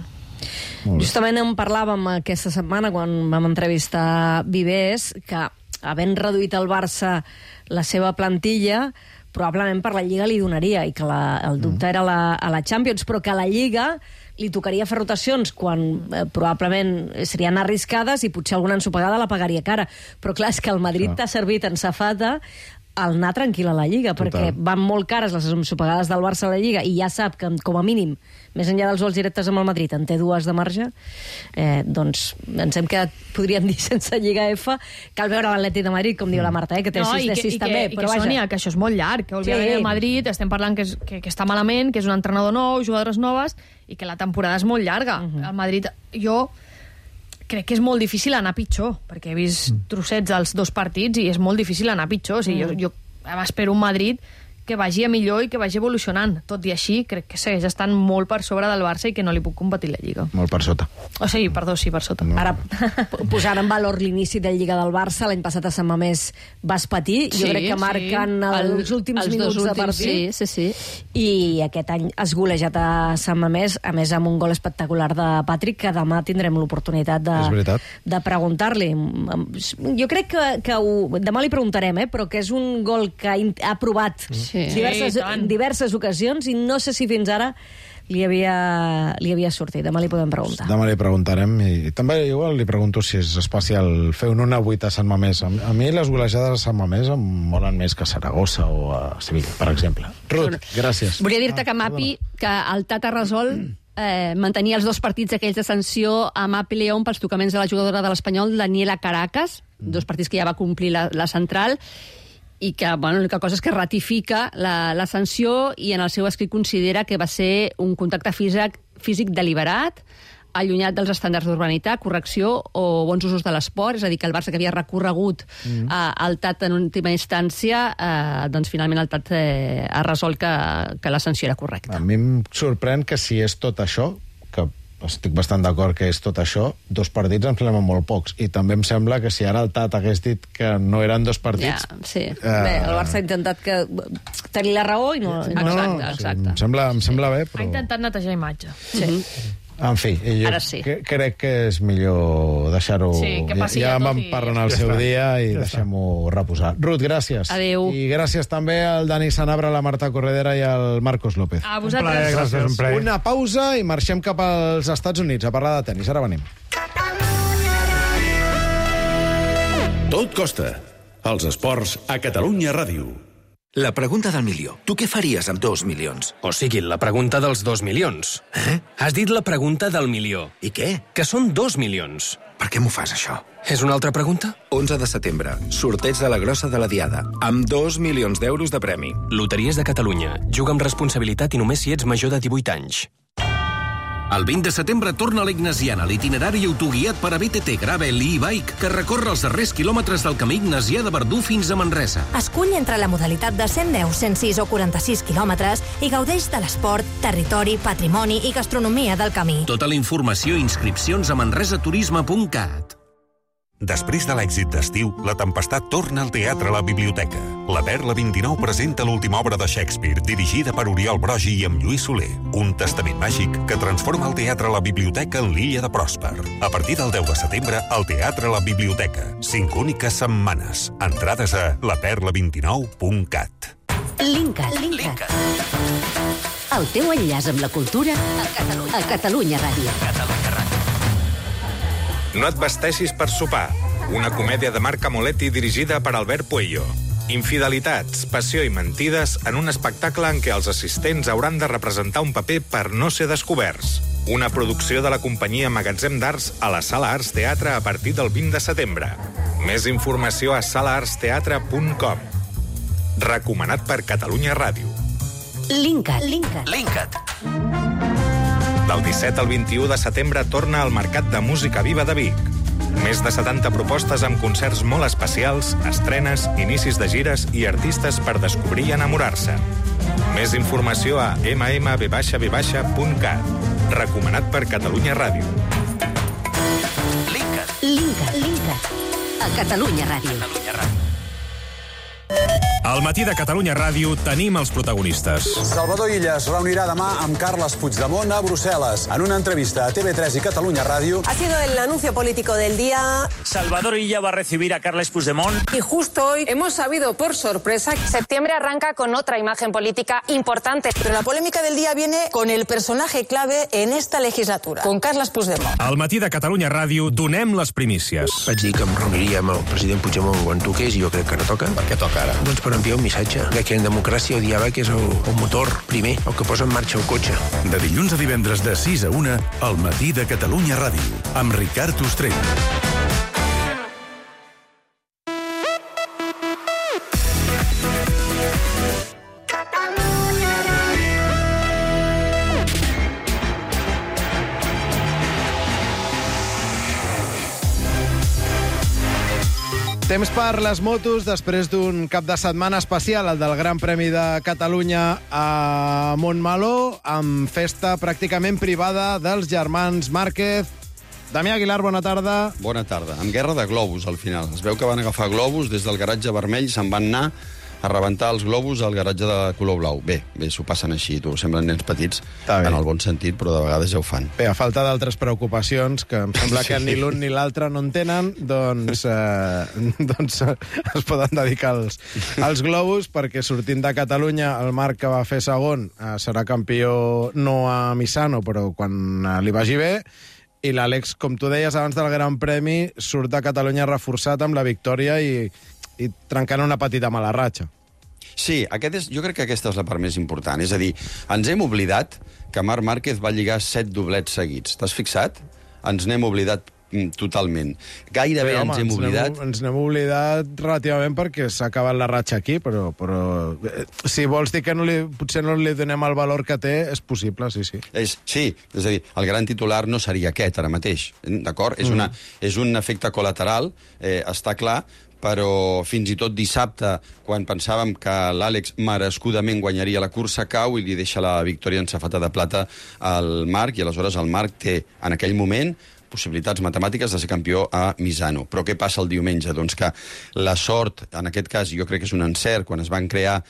Justament en parlàvem aquesta setmana quan vam entrevistar Vivés, que havent reduït el Barça la seva plantilla, probablement per la Lliga li donaria, i que el dubte era a la Champions, però que a la Lliga li tocaria fer rotacions quan probablement serien arriscades i potser alguna ensopegada la pagaria cara. Però clar, és que el Madrid t'ha servit en safata el anar tranquil a la Lliga, perquè van molt cares les ensopegades del Barça a la Lliga i ja sap que, com a mínim, més enllà dels vols directes amb el Madrid, en té 2 de marge, doncs ens hem quedat, podríem dir, sense Lliga F. Cal veure l'Atlètic de Madrid, com diu la Marta, que té 6 de 6 també. Però vaja, Sònia, que això és molt llarg, que òbviament el Madrid estem parlant que està malament, que és un entrenador nou, jugadores noves, i que la temporada és molt llarga. El Madrid, jo crec que és molt difícil anar pitjor, perquè he vist trossets dels 2 partits i és molt difícil anar pitjor. O sigui, jo espero un Madrid que vagi a millor i que vagi evolucionant. Tot i així, crec que segueix estant molt per sobre del Barça i que no li puc competir la Lliga. Molt per sota. O sigui, perdó, sí, per sota. No. Ara, posant en valor l'inici de Lliga del Barça, l'any passat a Sant Mamés vas patir, jo crec que marquen els últims minuts de partit. Sí. I aquest any has golejat a Sant Mamés, a més amb un gol espectacular de Patrick, que demà tindrem l'oportunitat de preguntar-li. Jo crec que demà li preguntarem, però que és un gol que ha provat diverses ocasions i no sé si fins ara li havia sortit. Demà li podem preguntar. Demà li preguntarem i també igual li pregunto si és especial fer un 1-8 a Sant Mamés. A mi les golejades a Sant Mamés em molen més que a Saragossa o a Sevilla, per exemple. Ruth, gràcies. Volia dir-te que Mapi, que el Tata resol mantenir els 2 partits aquells de sanció a Mapi León pels tocaments de la jugadora de l'Espanyol, Daniela Caracas, 2 partits que ja va complir la central, i que l'única cosa és que ratifica la sanció i en el seu escrit considera que va ser un contacte físic deliberat, allunyat dels estàndards d'urbanitat, correcció o bons usos de l'esport, és a dir, que el Barça que havia recorregut al TAT en última instància, doncs finalment el TAT ha resolt que la sanció era correcta. A mi em sorprèn que si és tot això, que estic bastant d'acord que és tot això, 2 partits em semblen molt pocs. I també em sembla que si ara el TAT hagués dit que no eren 2 partits... Ja, sí. Bé, el Barça ha intentat tenir la raó i no... Exacte. Em sembla bé, però... Ha intentat netejar imatge. Sí. En fi, jo crec que és millor deixar-ho... Sí, que passi ja tot vam i... parlar en el seu dia i deixem-ho reposar. Ruth, gràcies. Adéu. I gràcies també al Dani Sanabra, la Marta Corredera i al Marcos López. A vosaltres. Gràcies, un plaer. Una pausa i marxem cap als Estats Units a parlar de tenis. Ara venim. Tot costa. Els esports a Catalunya Ràdio. La pregunta del milió. Tu què faries amb 2 milions? O sigui, la pregunta dels 2 milions. Has dit la pregunta del milió. I què? Que són 2 milions. Per què m'ho fas, això? És una altra pregunta? 11 de setembre. Sorteig de la grossa de la Diada. Amb 2 milions d'euros de premi. Loteries de Catalunya. Juga amb responsabilitat i només si ets major de 18 anys. El 20 de setembre torna a l'Ignasiana, l'itinerari autoguiat per a BTT, Gravel i e-Bike, que recorre els darrers quilòmetres del camí Ignasià de Verdú fins a Manresa. Escull entre la modalitat de 110, 106 o 46 quilòmetres i gaudeix de l'esport, territori, patrimoni i gastronomia del camí. Tota la informació i inscripcions a manresaturisme.cat. Després de l'èxit d'estiu, La Tempestat torna al Teatre a la Biblioteca. La Perla 29 presenta l'última obra de Shakespeare, dirigida per Oriol Brogi i amb Lluís Soler. Un testament màgic que transforma el Teatre a la Biblioteca en l'illa de Pròsper. A partir del 10 de setembre, al Teatre a la Biblioteca. 5 úniques setmanes. Entrades a laperla29.cat. Linkat. El teu enllaç amb la cultura a Catalunya Ràdio. No et vesteixis per sopar. Una comèdia de Marc Amoletti dirigida per Albert Puello. Infidelitats, passió i mentides en un espectacle en què els assistents hauran de representar un paper per no ser descoberts. Una producció de la companyia Magatzem d'Arts a la Sala Arts Teatre a partir del 20 de setembre. Més informació a salaartsteatre.com. Recomanat per Catalunya Ràdio. Linkat. Del 17 al 21 de setembre torna al Mercat de Música Viva de Vic. Més de 70 propostes amb concerts molt especials, estrenes, inicis de gires i artistes per descobrir i enamorar-se. Més informació a mmv-cat. Recomanat per Catalunya Ràdio. Linkat. A Catalunya Ràdio. Al matí de Catalunya Ràdio tenim els protagonistes. Salvador Illa es reunirà demà amb Carles Puigdemont a Brussel·les. En una entrevista a TV3 y Catalunya Radio... Ha sido el anuncio político del día. Salvador Illa va a recibir a Carles Puigdemont. Y justo hoy hemos sabido por sorpresa que septiembre arranca con otra imagen política importante. Pero la polémica del día viene con el personaje clave en esta legislatura, con Carles Puigdemont. Al matí de Catalunya Ràdio donem les primícies. Vaig dir que em reuniria amb el president Puigdemont quan toqués i jo crec que no toca. Per què toca ara? Doncs per enviar un missatge que en democràcia el diàleg és el motor primer, el que posa en marxa el cotxe. De dilluns a divendres de 6 a 1, al matí de Catalunya Ràdio, amb Ricard Ostrell. Temps per les motos després d'un cap de setmana especial, el del Gran Premi de Catalunya a Montmeló, amb festa pràcticament privada dels germans Márquez. Damià Aguilar, bona tarda. Bona tarda. Amb guerra de globus, al final. Es veu que van agafar globus des del garatge vermell, se'n van anar a rebentar els globus al garatge de color blau. Bé, s'ho passen així, tu. Semblen nens petits, en el bon sentit, però de vegades ja ho fan. Bé, a falta d'altres preocupacions, que em sembla que ni l'un ni l'altre no en tenen, doncs es poden dedicar als globus, perquè sortint de Catalunya, el Marc, que va fer segon, serà campió no a Misano, però quan li vagi bé, i l'Àlex, com tu deies abans del Gran Premi, surt de Catalunya reforçat amb la victòria i trencant una petita mala ratxa. Sí, jo crec que aquesta és la part més important. És a dir, ens hem oblidat que Marc Márquez va lligar 7 doblets seguits. T'has fixat? Ens n'hem oblidat totalment. Gairebé ens hem oblidat... Ens n'hem oblidat relativament perquè s'ha acabat la ratxa aquí, però si vols dir que potser no li donem el valor que té, és possible, sí. Sí, és a dir, el gran titular no seria aquest ara mateix, d'acord? És un efecte col·lateral, està clar, però fins i tot dissabte, quan pensàvem que l'Àlex merescudament guanyaria la cursa, cau i li deixa la victòria en safata de plata al Marc, i aleshores el Marc té, en aquell moment, possibilitats matemàtiques de ser campió a Misano. Però què passa el diumenge? Doncs que la sort, en aquest cas, jo crec que és un encert, quan es van crear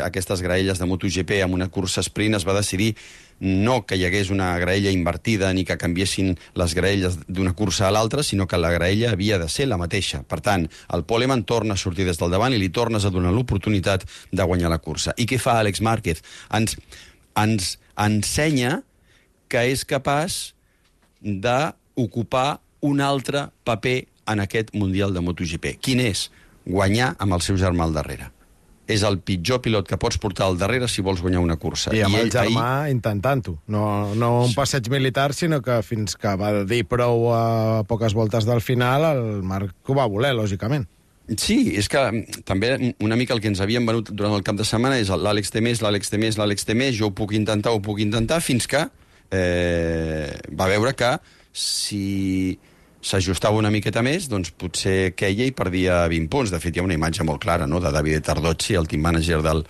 aquestes graelles de MotoGP amb una cursa sprint, es va decidir no que hi hagués una graella invertida ni que canviessin les graelles d'una cursa a l'altra, sinó que la graella havia de ser la mateixa. Per tant, el Poleman torna a sortir des del davant i li tornes a donar l'oportunitat de guanyar la cursa. I què fa Àlex Márquez? Ens ensenya que és capaç d'ocupar un altre paper en aquest Mundial de MotoGP. Quin és? Guanyar amb el seu germà al darrere. És el pitjor pilot que pots portar al darrere si vols guanyar una cursa. I amb el germà intentant-ho. No un passeig militar, sinó que fins que va dir prou a poques voltes del final, el Marc ho va voler, lògicament. Sí, és que també una mica el que ens havien venut durant el cap de setmana és l'Àlex té més, jo ho puc intentar, fins que va veure que si s'ajustava una miqueta més, doncs potser queia i perdia 20 punts. De fet, hi ha una imatge molt clara, no?, de Davide Tardozzi, el team manager del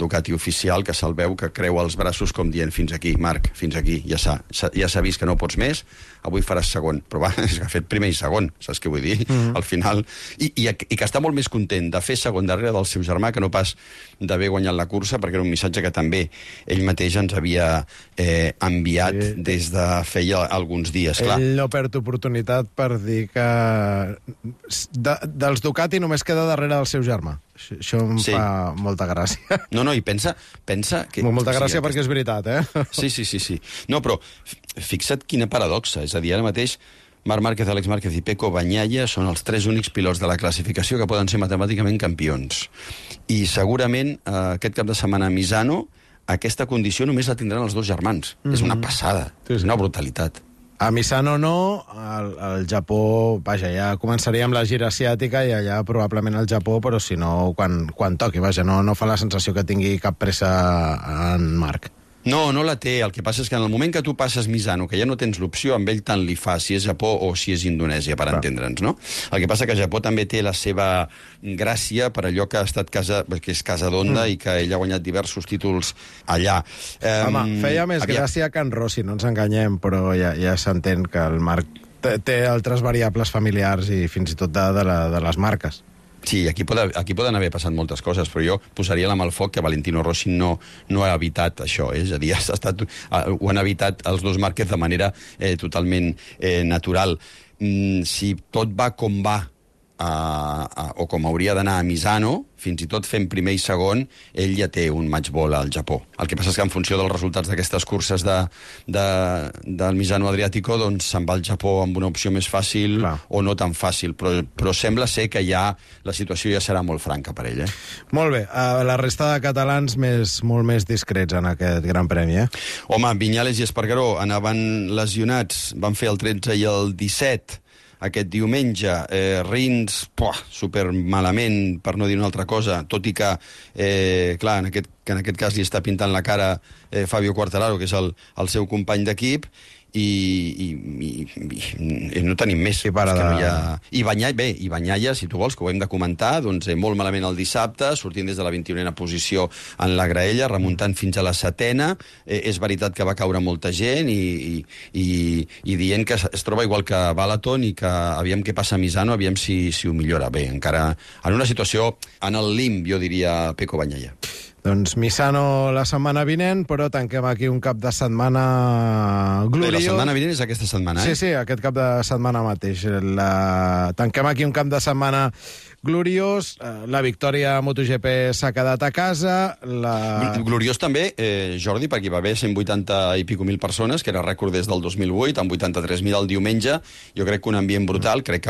Ducati oficial, que se'l veu que creua els braços com dient fins aquí, Marc, fins aquí, ja s'ha vist que no pots més, avui faràs segon. Però va, ha fet primer i segon, saps què vull dir? Al final... I que està molt més content de fer segon darrere del seu germà que no pas d'haver guanyat la cursa, perquè era un missatge que també ell mateix ens havia enviat des de feia alguns dies. Ell no perd oportunitat per dir que dels Ducati només queda darrere del seu germà. Això em fa molta gràcia. No, i pensa que... Molta gràcia perquè és veritat, eh? Sí. No, però fixa't quina paradoxa. És a dir, ara mateix Marc Márquez, Àlex Márquez i Pecco Bagnaia són els 3 únics pilots de la classificació que poden ser matemàticament campions. I segurament aquest cap de setmana a Misano aquesta condició només la tindran els 2 germans. És una passada, és una brutalitat. A Misano no, al Japó, vaja, ja començaria amb la gira asiàtica i allà probablement al Japó, però si no, quan toqui, vaja, no fa la sensació que tingui cap pressa en Marc. No la té. El que passa és que en el moment que tu passes Misano, que ja no tens l'opció, amb ell tant li fa si és Japó o si és Indonèsia, per entendre'ns, no? El que passa que Japó també té la seva gràcia per allò que ha estat que és casa d'Honda i que ell ha guanyat diversos títols allà. Home, feia més gràcia que en Rossi, no ens enganyem, però ja s'entén que el Marc té altres variables familiars i fins i tot de les marques. Sí, aquí poden haver passat moltes coses, però jo posaria la mà al foc que Valentino Rossi no ha evitat això, és a dir, ho han evitat els 2 Márquez de manera totalment natural. Si tot va com va, o com hauria d'anar a Misano, fins i tot fent primer i segon, ell ja té un match ball al Japó. El que passa és que en funció dels resultats d'aquestes curses del Misano Adriàtico, doncs se'n va al Japó amb una opció més fàcil o no tan fàcil, però sembla ser que ja la situació ja serà molt franca per ell. Molt bé. La resta de catalans molt més discrets en aquest Gran Premi, Home, Viñales i Espargaró anaven lesionats, van fer el 13 i el 17 aquest diumenge. Rins, super malament, per no dir una altra cosa, tot i que, clar, en aquest cas li està pintant la cara Fabio Quartararo, que és el seu company d'equip, i no tenim més. I Bagnaia, si tu vols, que ho hem de comentar, doncs molt malament el dissabte, sortint des de la 21a posició en la graella, remuntant fins a la 7a. És veritat que va caure molta gent i dient que es troba igual que Balaton i que aviam què passa a Misano, aviam si ho millora. Bé, encara en una situació en el limb, jo diria, Pecco Bagnaia. Doncs Misano la setmana vinent, però tanquem aquí un cap de setmana gloriós. La setmana vinent és aquesta setmana, Sí, aquest cap de setmana mateix. Tanquem aquí un cap de setmana gloriós. La victòria a MotoGP s'ha quedat a casa. Gloriós també, Jordi, perquè hi va haver 180 i pico mil persones, que era rècord des del 2008, amb 83.000 el diumenge. Jo crec que un ambient brutal. Crec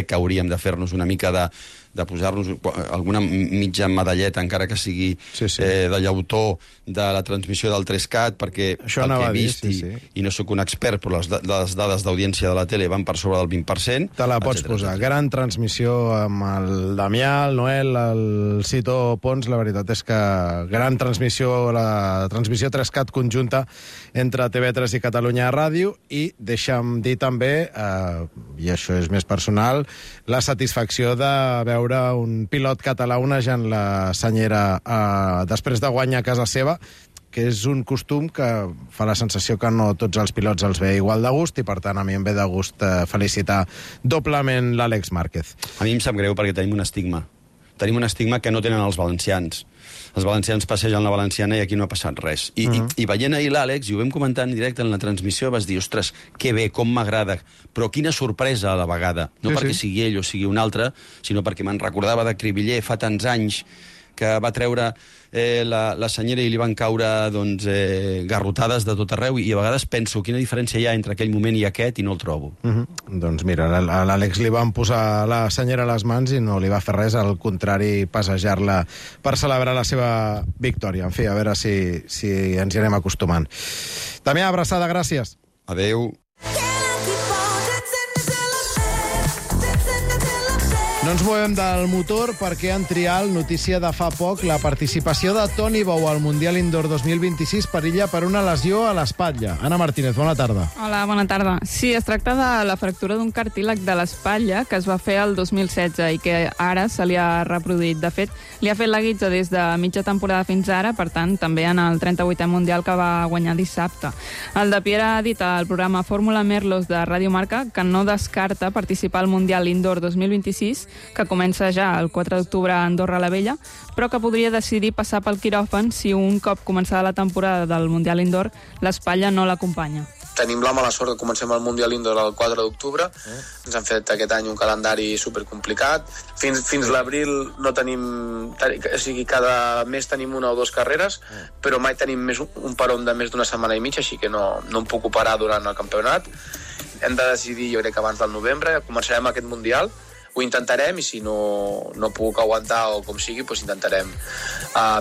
que hauríem de fer-nos una mica de posar-nos alguna mitja medalleta, encara que sigui de llautó, de la transmissió del 3CAT, perquè el que he vist, i no sóc un expert, però les dades d'audiència de la tele van per sobre del 20%. Te la pots posar. Gran transmissió amb el Damià, el Noel, el Cito Pons. La veritat és que gran transmissió, la transmissió 3CAT conjunta entre TV3 i Catalunya Ràdio, i deixa'm dir també, i això és més personal, la satisfacció de veure un pilot català onejant la senyera després de guanyar a casa seva, que és un costum que fa la sensació que no tots els pilots els ve igual de gust, i per tant a mi em ve de gust felicitar doblement l'Àlex Márquez. A mi em sap greu perquè tenim un estigma. Tenim un estigma que no tenen els valencians. Els valencians passegen la valenciana i aquí no ha passat res. I veient ahir l'Àlex, i ho vam comentar en directe en la transmissió, vas dir, ostres, que bé, com m'agrada, però quina sorpresa a la vegada. No perquè sigui ell o sigui un altre, sinó perquè me'n recordava de Cribiller fa tants anys, que va treure la senyera i li van caure garrotades de tot arreu, i a vegades penso quina diferència hi ha entre aquell moment i aquest, i no el trobo. Doncs mira, a l'Àlex li van posar la senyera a les mans i no li va fer res, al contrari, passejar-la per celebrar la seva victòria. En fi, a veure si ens hi anem acostumant. Damià, abraçada, gràcies. Adéu. No ens movem del motor perquè en trial, notícia de fa poc, la participació de Toni Bou al Mundial Indoor 2026 perilla per una lesió a l'espatlla. Anna Martínez, bona tarda. Hola, bona tarda. Sí, es tracta de la fractura d'un cartílag de l'espatlla que es va fer el 2016 i que ara se li ha reproduït. De fet, li ha fet la guitza des de mitja temporada fins ara, per tant, també en el 38è Mundial que va guanyar dissabte. El de Pierre ha dit al programa Fórmula Merlos de Ràdio Marca que no descarta participar al Mundial Indoor 2026, que comença ja el 4 d'octubre a Andorra la Vella, però que podria decidir passar pel quiròfan si un cop començada la temporada del Mundial Indoor l'espatlla no l'acompanya. Tenim la mala sort que comencem el Mundial Indoor el 4 d'octubre. Ens han fet aquest any un calendari supercomplicat. Fins l'abril no tenim... O sigui, cada mes tenim una o dues carreres, però mai tenim un peron de més d'una setmana i mitja, així que no em puc operar durant el campionat. Hem de decidir, jo crec que abans del novembre, començarem aquest Mundial. Ho intentarem, i si no puc aguantar o com sigui, doncs intentarem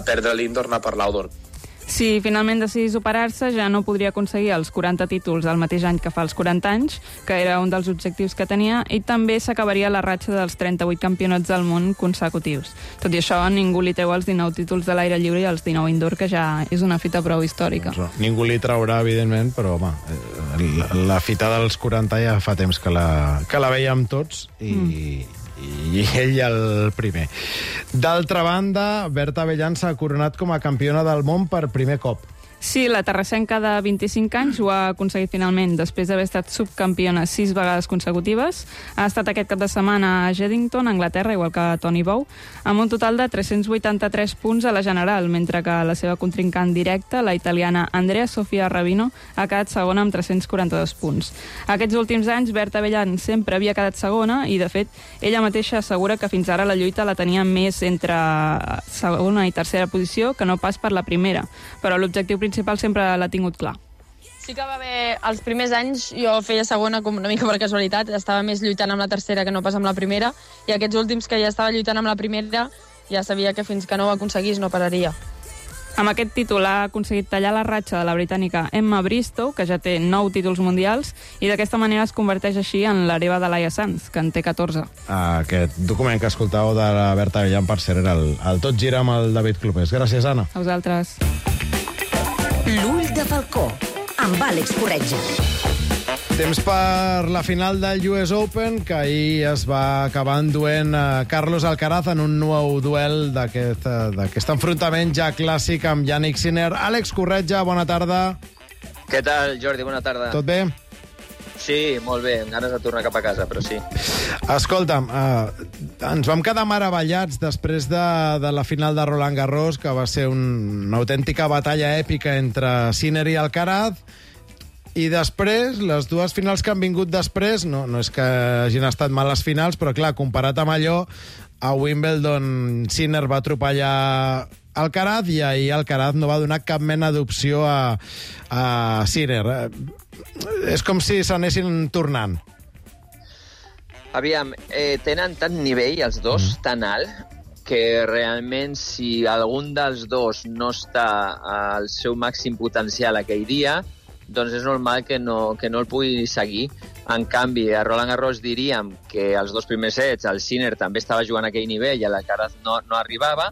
perdre l'Indoor, anar per l'Outdoor. Si finalment decidís operar-se, ja no podria aconseguir els 40 títols el mateix any que fa els 40 anys, que era un dels objectius que tenia, i també s'acabaria la ratxa dels 38 campionats del món consecutius. Tot i això, ningú li treu els 19 títols de l'aire lliure i els 19 indoor, que ja és una fita prou històrica. Ningú li traurà, evidentment, però home, la fita dels 40 ja fa temps que la veiem tots, i ell el primer. D'altra banda, Berta Avellán s'ha coronat com a campiona del món per primer cop. Sí, la terrassenca de 25 anys ho ha aconseguit finalment, després d'haver estat subcampiona 6 vegades consecutives. Ha estat aquest cap de setmana a Geddington, Anglaterra, igual que Toni Bou, amb un total de 383 punts a la general, mentre que la seva contrincant directa, la italiana Andrea Sofia Rabino, ha quedat segona amb 342 punts. Aquests últims anys, Berta Avellán sempre havia quedat segona i, de fet, ella mateixa assegura que fins ara la lluita la tenia més entre segona i tercera posició que no pas per la primera, però l'objectiu principal sempre l'ha tingut clar. Sí que va haver... Els primers anys jo feia segona com una mica per casualitat, estava més lluitant amb la tercera que no pas amb la primera, i aquests últims que ja estava lluitant amb la primera ja sabia que fins que no ho aconseguís no pararia. Amb aquest títol ha aconseguit tallar la ratxa de la britànica Emma Bristow, que ja té 9 títols mundials, i d'aquesta manera es converteix així en l'hereva de Laia Sanz, que en té 14. Aquest document que escoltàveu de la Berta Avellán, per cert, era el Tot gira amb el David Clopés. Gràcies, Anna. A vosaltres. L'ull de falcó, amb Àlex Corretja. Temps per la final del US Open, que ahir es va acabar enduent Carlos Alcaraz en un nou duel d'aquest enfrontament ja clàssic amb Jannik Sinner. Àlex Corretja, bona tarda. Què tal, Jordi? Bona tarda. Tot bé? Sí, molt bé, amb ganes de tornar cap a casa, però sí. Escolta'm, ens vam quedar meravellats després de la final de Roland Garros, que va ser una autèntica batalla èpica entre Sinner i Alcaraz, I després, les dues finals que han vingut després, no és que hagin estat males finals, però clar, comparat amb allò, a Wimbledon Sinner va atropellar Alcaraz i ahir Alcaraz no va donar cap mena d'opció a Sinner. És com si s'anessin tornant. Aviam, tenen tant nivell, els dos, tan alt, que realment si algun dels dos no està al seu màxim potencial aquell dia, doncs és normal que no el pugui seguir. En canvi, a Roland Garros diríem que els dos primers sets el Sinner també estava jugant a aquell nivell i l'Alcaraz no arribava.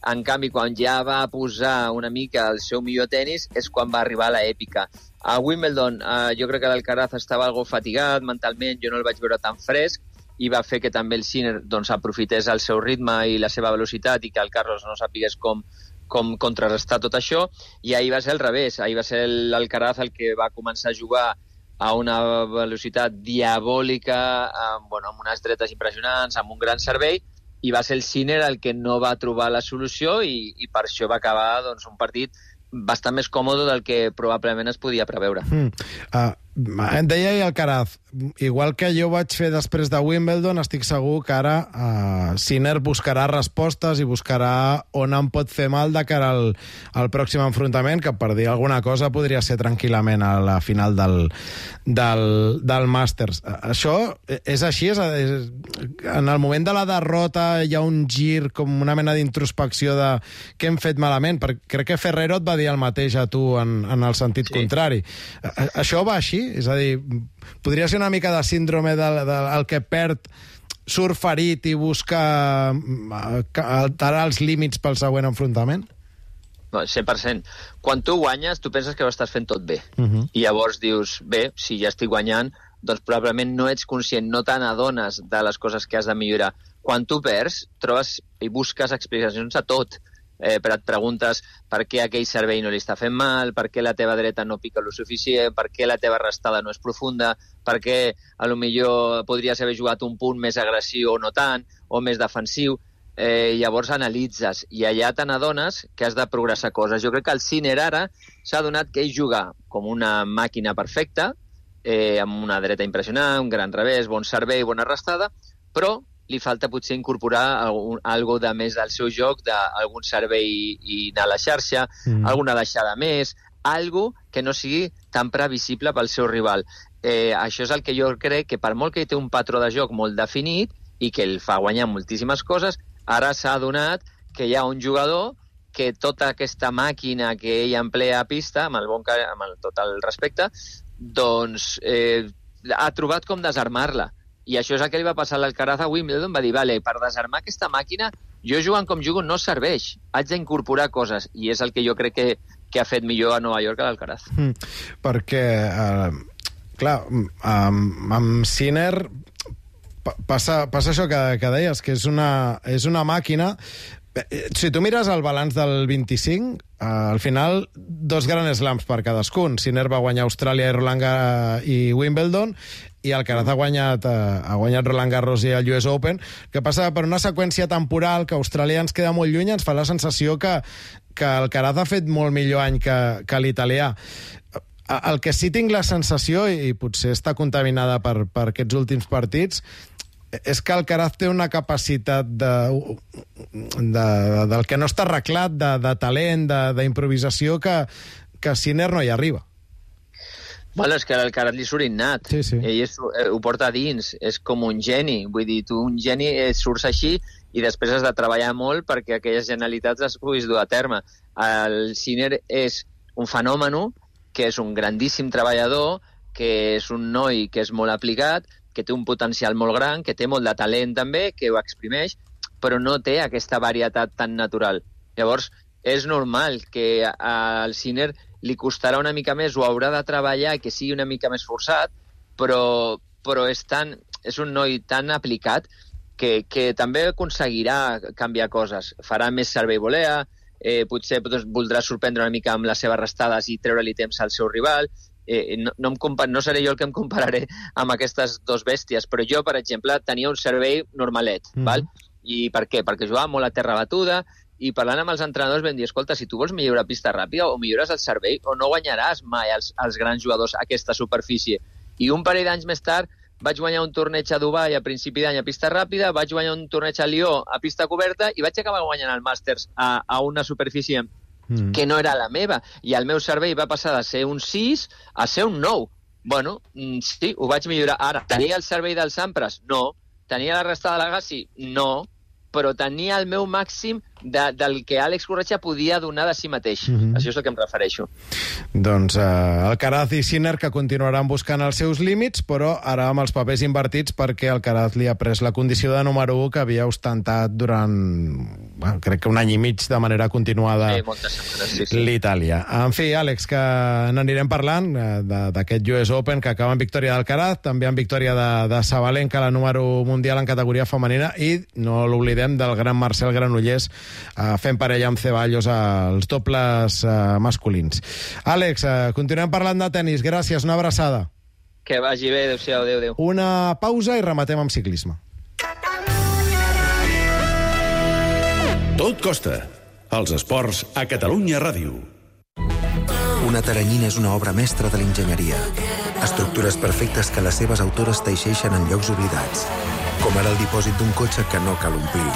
En canvi, quan ja va posar una mica el seu millor tenis és quan va arribar l'èpica. A Wimbledon jo crec que l'Alcaraz estava algo fatigat mentalment, jo no el vaig veure tan fresc i va fer que també el Sinner doncs, aprofités el seu ritme i la seva velocitat i que el Carlos no sapigués com contrarrestar tot això, i ahir va ser al revés. Ahir va ser l'Alcaraz el que va començar a jugar a una velocitat diabòlica, amb unes dretes impressionants, amb un gran servei, i va ser el Sinner el que no va trobar la solució i per això va acabar un partit bastant més còmode del que probablement es podia preveure. Em deia Alcaraz, igual que jo vaig fer després de Wimbledon, estic segur que ara Sinner buscarà respostes i buscarà on em pot fer mal de cara al pròxim enfrontament, que per dir alguna cosa podria ser tranquil·lament a la final del Masters. Això és així? En el moment de la derrota hi ha un gir, com una mena d'introspecció de què hem fet malament? Perquè crec que Ferrero et va dir el mateix a tu en el sentit contrari. Això va així? És a dir, podria ser una mica de síndrome del que perd, surt ferit i busca alterar els límits pel següent enfrontament? No, 100%. Quan tu guanyes, tu penses que ho estàs fent tot bé. I llavors dius, bé, si ja estic guanyant, doncs probablement no ets conscient, no te n'adones de les coses que has de millorar. Quan tu perds, trobes i busques explicacions a tot. Però et preguntes per què aquell servei no li està fent mal, per què la teva dreta no pica lo suficient, per què la teva restada no és profunda, per què potser podries haver jugat un punt més agressiu o no tant, o més defensiu. Llavors analitzes i allà te n'adones que has de progressar coses. Jo crec que el Sinner ara s'ha adonat que ell juga com una màquina perfecta, amb una dreta impressionant, un gran revés, bon servei, bona restada, però li falta potser incorporar algo de més del seu joc, d'algun servei i anar a la xarxa, alguna deixada més, algo que no sigui tan previsible pel seu rival. Això és el que jo crec que per molt que ell té un patró de joc molt definit i que el fa guanyar moltíssimes coses, ara s'ha adonat que hi ha un jugador que tota aquesta màquina que ell emplea a pista, amb tot el respecte, doncs ha trobat com desarmar-la. I això és el que li va passar a l'Alcaraz a Wimbledon. Va dir, vale, per desarmar aquesta màquina, jo jugant com jugo no serveix. Haig d'incorporar coses. I és el que jo crec que ha fet millor a Nova York a l'Alcaraz. Perquè, clar, amb Sinner passa això que deies, que és una màquina. Si tu mires el balanç del 25, al final, 2 Grand Slams per cadascun. Sinner va guanyar Austràlia i Wimbledon, i Alcaraz ha guanyat Roland Garros i el US Open, que passa per una seqüència temporal que Austràlia ens queda molt lluny, ens fa la sensació que Alcaraz ha fet molt millor any que l'italià. El que sí tinc la sensació, i potser està contaminada per aquests últims partits, és que Alcaraz té una capacitat del que no està arreglat, de talent, d'improvisació, que Sinner no hi arriba. Bueno, és que l'Alcaraz li surt innat. Sí. Ell ho porta a dins. És com un geni. Vull dir, tu un geni surts així i després has de treballar molt perquè aquelles genialitats les puguis dur a terme. El Sinner és un fenomen, que és un grandíssim treballador, que és un noi que és molt aplicat, que té un potencial molt gran, que té molt de talent també, que ho exprimeix, però no té aquesta varietat tan natural. Llavors, és normal que al Sinner li costarà una mica més, o haurà de treballar i que sigui una mica més forçat, però és un noi tan aplicat que també aconseguirà canviar coses. Farà més servei volea, potser voldrà sorprendre una mica amb les seves restades i treure-li temps al seu rival. No seré jo el que em compararé amb aquestes dos bèsties, però jo, per exemple, tenia un servei normalet, val? I per què? Perquè jugava molt a terra batuda i parlant amb els entrenadors vam dir, escolta, si tu vols millorar pista ràpida o millores el servei o no guanyaràs mai els grans jugadors a aquesta superfície. I un parell d'anys més tard vaig guanyar un torneig a Dubai a principi d'any a pista ràpida, vaig guanyar un torneig a Lió a pista coberta i vaig acabar guanyant el Masters a una superfície que no era la meva. I el meu servei va passar de ser un 6 a ser un 9. Bueno, sí, ho vaig millorar. Ara, tenia el servei del Sampras? No. Tenia la resta de l'Agassi? No. Però tenia el meu màxim del que Àlex Corretja podia donar de si mateix. Això és el que em refereixo. Doncs Alcaraz i Sinner que continuaran buscant els seus límits, però ara amb els papers invertits perquè Alcaraz li ha pres la condició de número 1 que havia ostentat durant, crec que un any i mig de manera continuada l'Itàlia. En fi, Àlex, que n'anirem parlant d'aquest US Open que acaba en victòria d'Alcaraz, també en victòria de Sabalenka, la número mundial en categoria femenina, i no l'oblidem del gran Marcel Granollers fent parella amb Ceballos als dobles masculins. Àlex, continuem parlant de tenis. Gràcies, una abraçada. Que vagi bé, adéu-siau, adéu. Una pausa i rematem amb ciclisme. Tot costa. Els esports a Catalunya Ràdio. Una teranyina és una obra mestra de l'enginyeria. Estructures perfectes que les seves autores teixeixen en llocs oblidats. Com ara el dipòsit d'un cotxe que no cal omplir.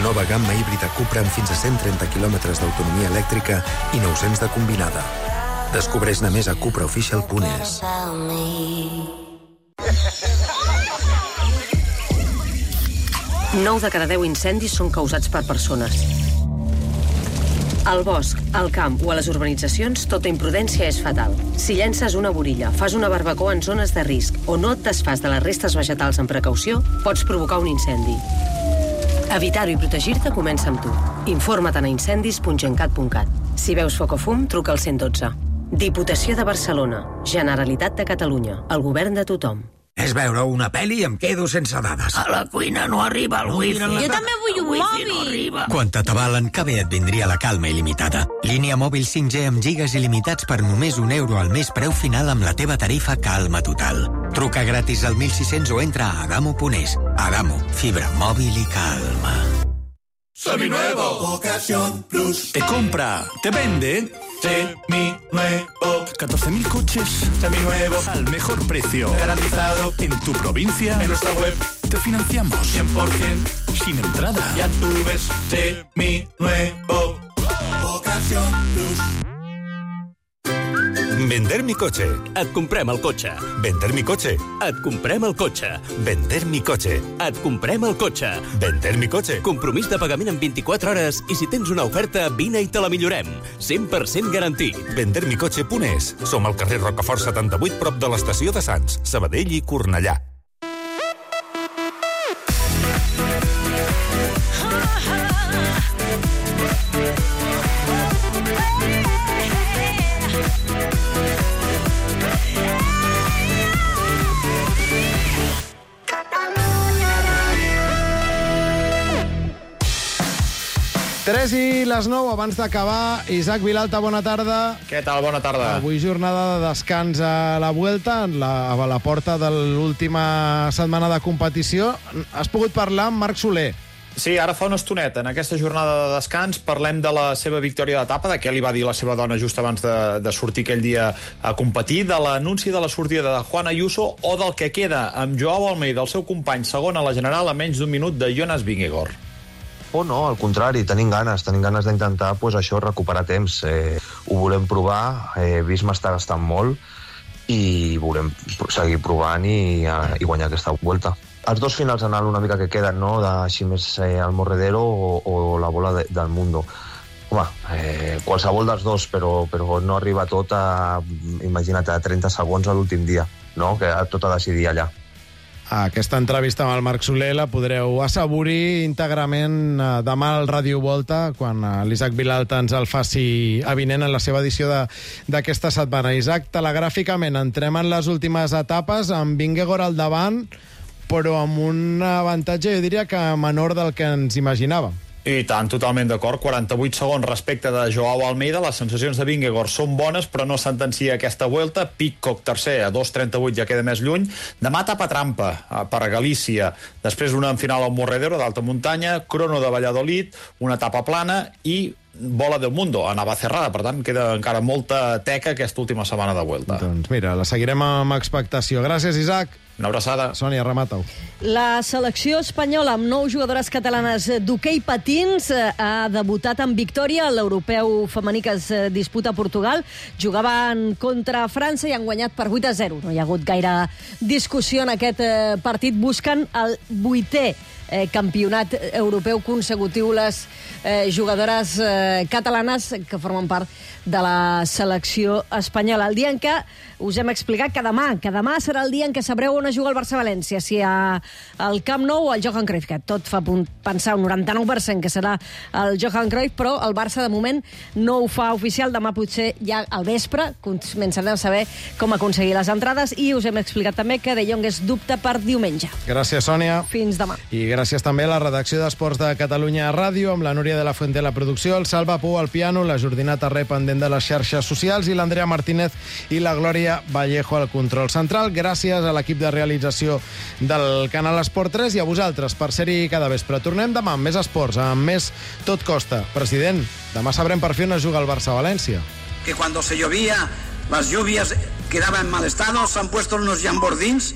Nova gamma híbrida Cupra amb fins a 130 km d'autonomia elèctrica i 900 de combinada. Descobreix-ne més a cupraofficial.es. 9 de cada 10 incendis són causats per persones. Al bosc, al camp o a les urbanitzacions, tota imprudència és fatal. Si llences una burilla, fas una barbacoa en zones de risc o no et desfas de les restes vegetals amb precaució, pots provocar un incendi. Evitar-ho i protegir-te comença amb tu. Informa't a incendis.gencat.cat. Si veus foc o fum, truca al 112. Diputació de Barcelona. Generalitat de Catalunya. El govern de tothom. És veure una pel·li i em quedo sense dades. A la cuina no arriba el wifi. Jo també vull un mòbil. Quan t'atabalen, que bé et vindria la calma il·limitada. Línia mòbil 5G amb gigas il·limitats per només €1 al mes preu final amb la teva tarifa Calma Total. Truca gratis al 1600 o entra a adamo.es. Adamo, fibra móvil y calma. Seminuevo. Ocasión Plus. Te compra, te vende. Seminuevo. 14.000 coches. Seminuevos. Al mejor precio. Garantizado. En tu provincia. En nuestra web. Te financiamos. 100%. Sin entrada. Ya tú ves. Seminuevo. Ocasión Plus. Vender mi coche. Et comprem el cotxe. Vender mi coche. Et comprem el cotxe. Vender mi coche. Et comprem el cotxe. Vender mi coche. Compromís de pagament en 24 hores i si tens una oferta, vine i te la millorem. 100% garantit. Vendermicoche.es. Som al carrer Rocafort 78, prop de l'estació de Sants, Sabadell i Cornellà. Tres i les 9, abans d'acabar, Isaac Vilalta, bona tarda. Què tal? Bona tarda. Avui jornada de descans a la Vuelta, a la porta de l'última setmana de competició. Has pogut parlar amb Marc Soler. Sí, ara fa una estoneta. En aquesta jornada de descans parlem de la seva victòria d'etapa, de què li va dir la seva dona just abans de sortir aquell dia a competir, de l'anunci de la sortida de Juan Ayuso o del que queda amb Joao Almeida, el seu company segon a la general, a menys d'un minut de Jonas Vingegaard. Oh, no, al contrari, tenim ganes d'intentar pues, això, recuperar temps. Ho volem provar, Visma està gastant molt i volem seguir provant i guanyar aquesta volta. Els dos finals anal una mica que queden, no?, així més al Morredero o la bola del Mundo. Home, qualsevol dels dos, però no arriba tot a, imagina't, a 30 segons a l'últim dia, no?, que tot a decidir allà. Aquesta entrevista amb el Marc Soler la podreu assaborir íntegrament demà al Ràdio Volta, quan l'Isaac Vilalta ens el faci avinent en la seva edició d'aquesta setmana. Isaac, telegràficament, entrem en les últimes etapes, amb Vingegaard al davant, però amb un avantatge, jo diria que menor del que ens imaginàvem. I tant, totalment d'acord. 48 segons respecte de Joao Almeida. Les sensacions de Vingegaard són bones, però no sentencia aquesta Vuelta. Pidcock tercer, a 2.38 ja queda més lluny. Demà etapa trampa per a Galícia. Després una en final al Morredero, d'alta muntanya, crono de Valladolid, una etapa plana i Bola del Mundo, a Navacerrada. Per tant, queda encara molta teca aquesta última setmana de Vuelta. Doncs mira, la seguirem amb expectació. Gràcies, Isaac. Una abraçada. Sònia, remata-ho. La selecció espanyola amb 9 jugadores catalanes d'hoquei patins ha debutat amb victòria a l'europeu femení que es disputa a Portugal. Jugaven contra França i han guanyat per 8-0. No hi ha hagut gaire discussió en aquest partit. Busquen el 8è campionat europeu consecutiu les jugadores catalanes que formen part de la selecció espanyola. El dia en què us hem explicat que demà serà el dia en què sabreu on es juga el Barça-València, si al Camp Nou o al Johan Cruyff, que tot fa pensar un 99% que serà el Johan Cruyff, però el Barça de moment no ho fa oficial. Demà potser ja al vespre començarem a saber com aconseguir les entrades i us hem explicat també que De Jong és dubte per diumenge. Gràcies, Sònia. Fins demà. I gràcies també a la redacció d'Esports de Catalunya Ràdio, amb la Núria de la Fuente a la producció, el Salva Pou al piano, la Jordina Tarré pendent de les xarxes socials i l'Andrea Martínez i la Glòria Vallejo al control central. Gràcies a l'equip de realització del canal Esport 3 i a vosaltres per ser-hi cada vespre. Tornem demà amb més esports, amb més Tot Costa. President, demà sabrem per fi on es juga el Barça-València. Que cuando se llovía, las lluvias quedaban en mal estado, se han puesto unos jambordins